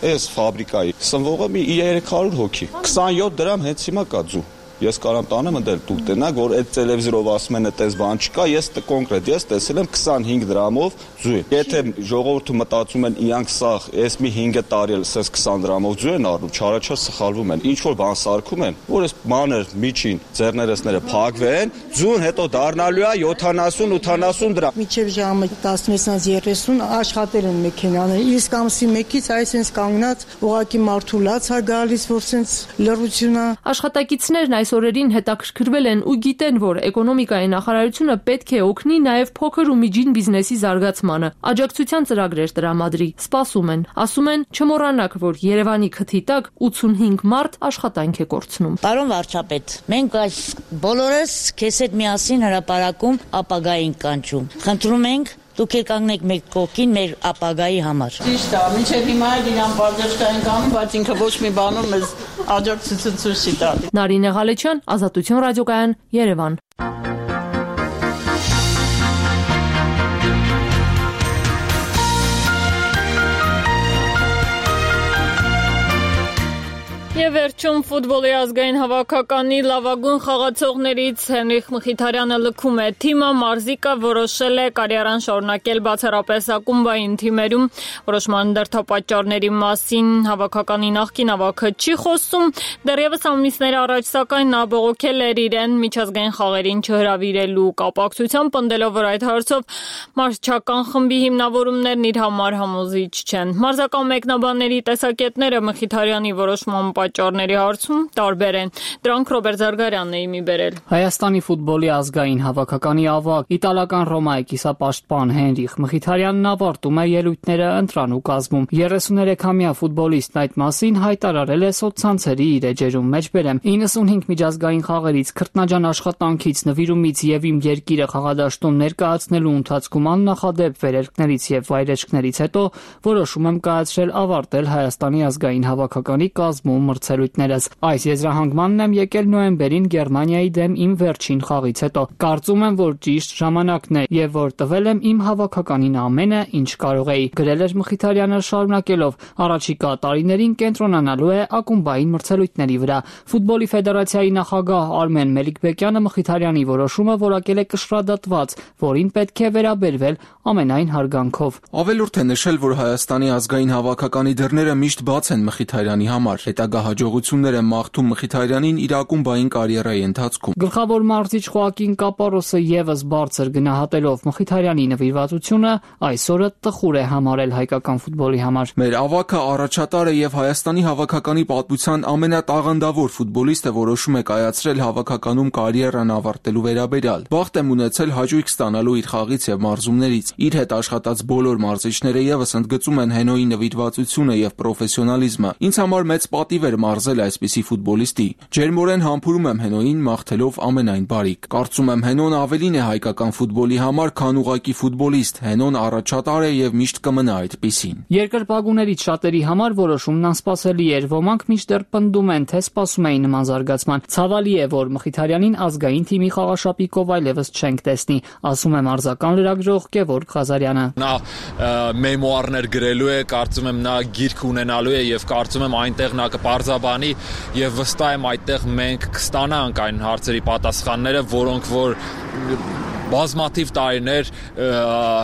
այս ֆաբրիկայի սնվողը մի 300 հոգի։ 27 դրամ հենց հիմա կա ձու։ Ես կարամ տանեմ ընդել դուք տնակ, որ այդ տելևիզորով ասում են այդպես բան չկա, ես կոնկրետ տեսել եմ 25 դրամով ձու։ Եթե ժողովուրդը մտածում են իրանք սա այս մի 5 տարի էլ սենց 20 դրամով ձու են առնում, չարաչար սխալվում են։ Ինչ որ բան սարքում են, որ այս մանր միջին ձեռներեսները փակվեն, ձուն հետո դառնալու է 70-80 դրամ։ Մինչև ժամը 16:30 աշխատել են մեքենաները, իսկ ամսի 1-ից այս sense կանգնած ուղակի մարդու լաց է գալիս, որ sense լրությունա։ Աշխատակիցներն այս օրերին հետաքրքրվել են ու գիտեն, որ էկոնոմիկայի նախարարությունը պետք է օգնի նաև փոքր ու միջին բիզնեսի զարգացմանը, աջակցության ծրագրեր տրամադրի, սպասում են, ասում են չմոռանաք, որ Երևանի քթի տակ 85 մարդ աշխատանք է կորցնում։ Պարոն վարչապետ, մենք այս բոլորս քեզ հետ միասին հրապարակում ապագային կանչում։ Խնդրում ենք դուք եք կանգնեք մեր կողքին մեր ապագայի համար։ Ճիշտ է, մինչև հիմա էլ իրան բաժշկային կանում, բայց ինքը ոչ մի բանում մեզ աջակցություն ցույց չի տալի։ Նարինե Ղալեչյան, Ազատություն ռադիոկայան, Երևան։ Եվ վերջում ֆուտբոլի ազգային հավաքականի լավագույն խաղացողներից Հենրիխ Մխիթարյանը լքում է թիմը, Մարզիկը որոշել է կարիերան շարունակել բացառապես ակումբային թիմերում, որոշման դրդապատճառների մասին հավաքականի նախկին ավագը չի խոսում, դեռևս ամիսներ առաջ սակայն նա բողոքել էր իրեն միջազգային խաղերին չհրավիրելու կապակցությամբ, պնդելով, որ այդ հարցով մարզչական խմբի հիմնավորումներն իր համար համոզիչ չեն։ Մարզական մեկնաբանների տեսակետները Մխիթարյանի որոշման պատճառների հարցում տարբեր են։ Դրանք Ռոբերտ Զարգարյանն է իմի բերել։ Հայաստանի ֆուտբոլի ազգային հավաքականի ավագ իտալական Ռոմայի կիսապաշտպան Հենրիխ Մխիթարյանն ավարտում է ելույթները ընտրանու կազմում։ 33-ամյա ֆուտբոլիստն այդ մասին հայտարարել է սոցցանցերի իր էջերում մեջբերեմ 95 միջազգային խաղերից, քրտնաջան աշխատանքից, նվիրումից եւ իմ երկիրը խաղադաշտում ներկայացնելու ընթացքում աննախադեպ վերելքներից եւ վայրեջքներից հետո որոշում եմ կայացրել ավարտել Հայաստանի ազգային հավաքականի կազմում մրցելույթներս։ Այս եզրահանգմանն եմ եկել նոյեմբերին Գերմանիայի դեմ իմ վերջին խաղից հետո։ Կարծում եմ, որ ճիշտ ժամանակն է եւ որ տվել եմ իմ հավաքականին ամենը, ինչ կարող էի, գրել էր Մխիթարյանը շարունակելով. առաջիկա տարիներին կենտրոնանալու է ակումբային մրցելույթների վրա։ Ֆուտբոլի ֆեդերացիայի նախագահ Արմեն Մելիքբեկյանը Մխիթարյանի որոշումը որակել է կշռադատված, որին պետք է վերաբերվել ամենայն հարգանքով։ Ավելորդ է նշել, որ Հայաստանի ազգային հավաքականի դռները միշտ բաց են Մխիթարյանի համար։ Հետագա հաջողություններ են մաղթում Մխիթարյանին իր ակումբային կարիերայի ընթացքում։ Գլխավոր մարզիչ Խոակին Կապարոսը եւս բարձր գնահատելով Մխիթարյանի նվիրվածությունը, այսօրը տխուր է համարել հայկական ֆուտբոլի համար։ Մեր ավագը առաջատար է եւ Հայաստանի հավաքականի պատմության ամենատաղանդավոր ֆուտբոլիստը որոշում է կայացրել հավաքականում կարիերան ավարտելու վերաբերյալ։ Բախտ եմ ունեցել հաճույք ստանալու իր խաղից եւ մարզումներից։ Իր հետ աշխատած բոլոր մարզիչները եւս ընդգծում են Հենոյի նվիրվածությունը եւ պրոֆեսիոնալիզմը։ Ինձ համար մեծ պատիվ էր մարզել այսպիսի ֆուտբոլիստի։ Ջերմորեն համբուրում եմ Հենոյին, մաղթելով ամենայն բարիք։ Կարծում եմ Հենոն ավելին է հայկական ֆուտբոլի համար, քան ուղղակի ֆուտբոլիստ։ Հենոն առաջատար է եւ միշտ կմնա այդպիսին։ Երկրպագուներից շատերի համար որոշումն անսպասելի էր։ Ոմանք միշտեր պնդում են, թե սպասում էին նման զարգացման։ Ցավալի է, որ Մխիթարյանին ազգային թիմի խաղաշապիկով այլևս չենք տեսնի, ասում է մարզական լրագրող Գևորգ Ղազարյանը։ Նա մեմուարներ գրելու է, կարծում եմ նա գիրք ունենալու է եւ կարծում եմ այնտեղ նա կպարզաբանի եւ վստահ եմ այդտեղ մենք կստանանք այն հարցերի պատասխանները, որոնք որ բազմաթիվ տարիներ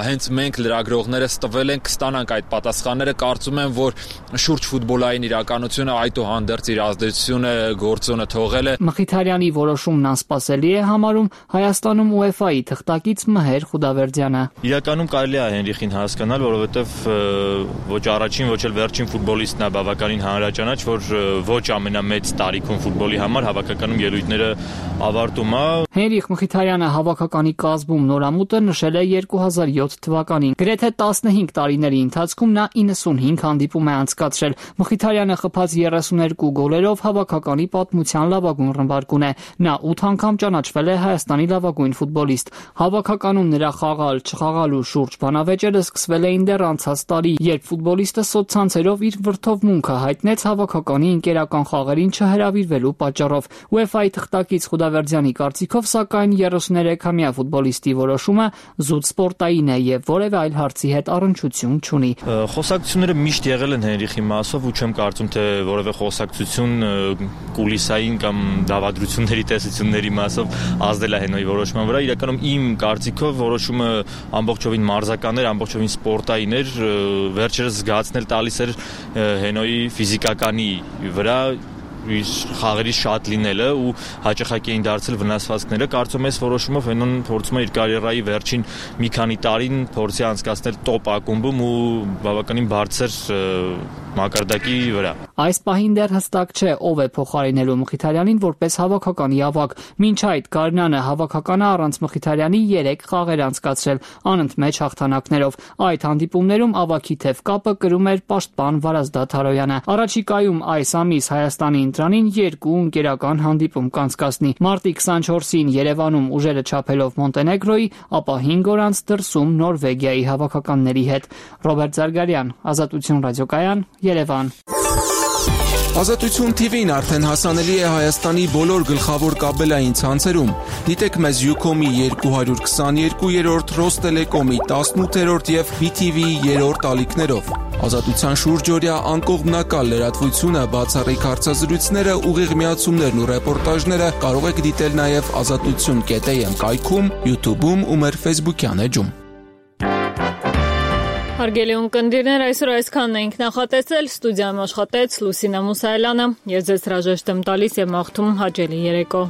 հենց մենք լրագրողներս տվել ենք, կստանանք այդ պատասխանները։ Կարծում եմ, որ շուրջ ֆուտբոլային իրականությունը այդուհանդերձ իր ազդեցությունը գործոնը թողել է։ Մխիթարյանի որոշումն անսպասելի է համարում Հայաստանում UEFA-ի թղթակից Մհեր Խուդավերդյանը։ Իրականում կարելի է Հենրիխին հասկանալ, որովհետև ոչ առաջին, ոչ էլ վերջին ֆուտբոլիստն է բավականին հանրաճանաչ, որ ոչ ամենամեծ տարիքում ֆուտբոլի համար հավաքականում ելույթները ավարտում է։ Հենրիխ Մխիթարյանը հավաքականի կազմում նորամուտը նշել է 2007 թվականին։ Գրեթե 15 տարիների ընթացքում նա 95 հանդիպում է անցկացրել։ Մխիթարյանը խփած 32 գոլերով հավաքականի պատմության լավագույն ռմբարկուն է։ Նա 8 անգամ ճանաչվել է Հայաստանի լավագույն ֆուտբոլիստ։ Հավաքականում նրա խաղալ, չխաղալու շուրջ բանավեճերը սկսվել էին դեռ անցած տարի, երբ ֆուտբոլիստը սոցցանցերով իր վրդովմունքը հայտնեց հավաքականի ընկերական խաղերին չհրավիրվելու պատճառով։ UEFA-ի թղթակից Խուդավերդյանի կարծիքով, սակայն 33-ամյա ֆուտբոլիստի որոշումը զուտ սպորտային է եւ որևէ այլ հարցի հետ առնչություն չունի։ Խոսակցությունները միշտ եղել են Հենրիխի մասով ու չեմ կարծում, թե որևէ խոսակցություն կուլիսային կամ դավադրությունների տեսությունների մասով ազդել է Հենոյի որոշման վրա։ Իրականում իմ կարծիքով որոշումը ամբողջովին մարզական էր, ամբողջովին սպորտային էր, վերջերս զգացնել տալիս էր Հենոյի ֆիզիկականի վրա իր խաղերի շատ լինելը ու հաճախակ էին դարձել վնասվածքները։ Կարծում եմ, այս որոշումով Հենոն փորձում է իր կարիերայի վերջին մի քանի տարին փորձի անցկացնել տոպ ակումբում ու բավականին բարձր մակարդակի վրա։ Այս պահին դեռ հստակ չէ ով է փոխարինելու Մխիթարյանին որպես հավաքականի ավագ։ Մինչ այդ Գարնանը հավաքականը առանց Մխիթարյանի 3 խաղեր անցկացրել անընդմեջ հաղթանակներով։ Այդ հանդիպումներում ավագի թև կապը կրում էր պաշտպան Վարազդատ Հարոյանը։ Առաջիկայում այս ամիս Հայաստանի ընտրանին 2 ընկերական հանդիպում կանցկացնի։ Մարտի 24-ին Երևանում ուժերը չափելով Մոնտենեգրոյի, ապա 5 օր անց դրսում Նորվեգիայի հավաքականների հետ։ Ռոբերտ Զարգարյան, Ազատություն ռադիոկայան, Երևան։ Ազատություն TV-ն արդեն հասանելի է Հայաստանի բոլոր գլխավոր կաբելային ցանցերում։ Դիտեք մեզ Ucom-ի 222-րդ, Ռոստելեկոմի 18-րդ եւ BTV-ի 3-րդ ալիքներով։ Ազատության շուրջօրյա անկողմնակալ լրատվությունը, բացառիկ հարցազրույցները, ուղիղ միացումներն ու ռեպորտաժները կարող եք դիտել նաեւ azatutun.am կայքում, YouTube-ում ու մեր Facebook-յան էջում։ Հարգելի ունկնդիրներ, այսօր այսքանն էինք նախատեսել, ստուդիայում աշխատեց Լուսինա Մուսայելյանը, ես ձեզ հրաժեշտ եմ տալիս եւ մաղթում հաճելի երեկո։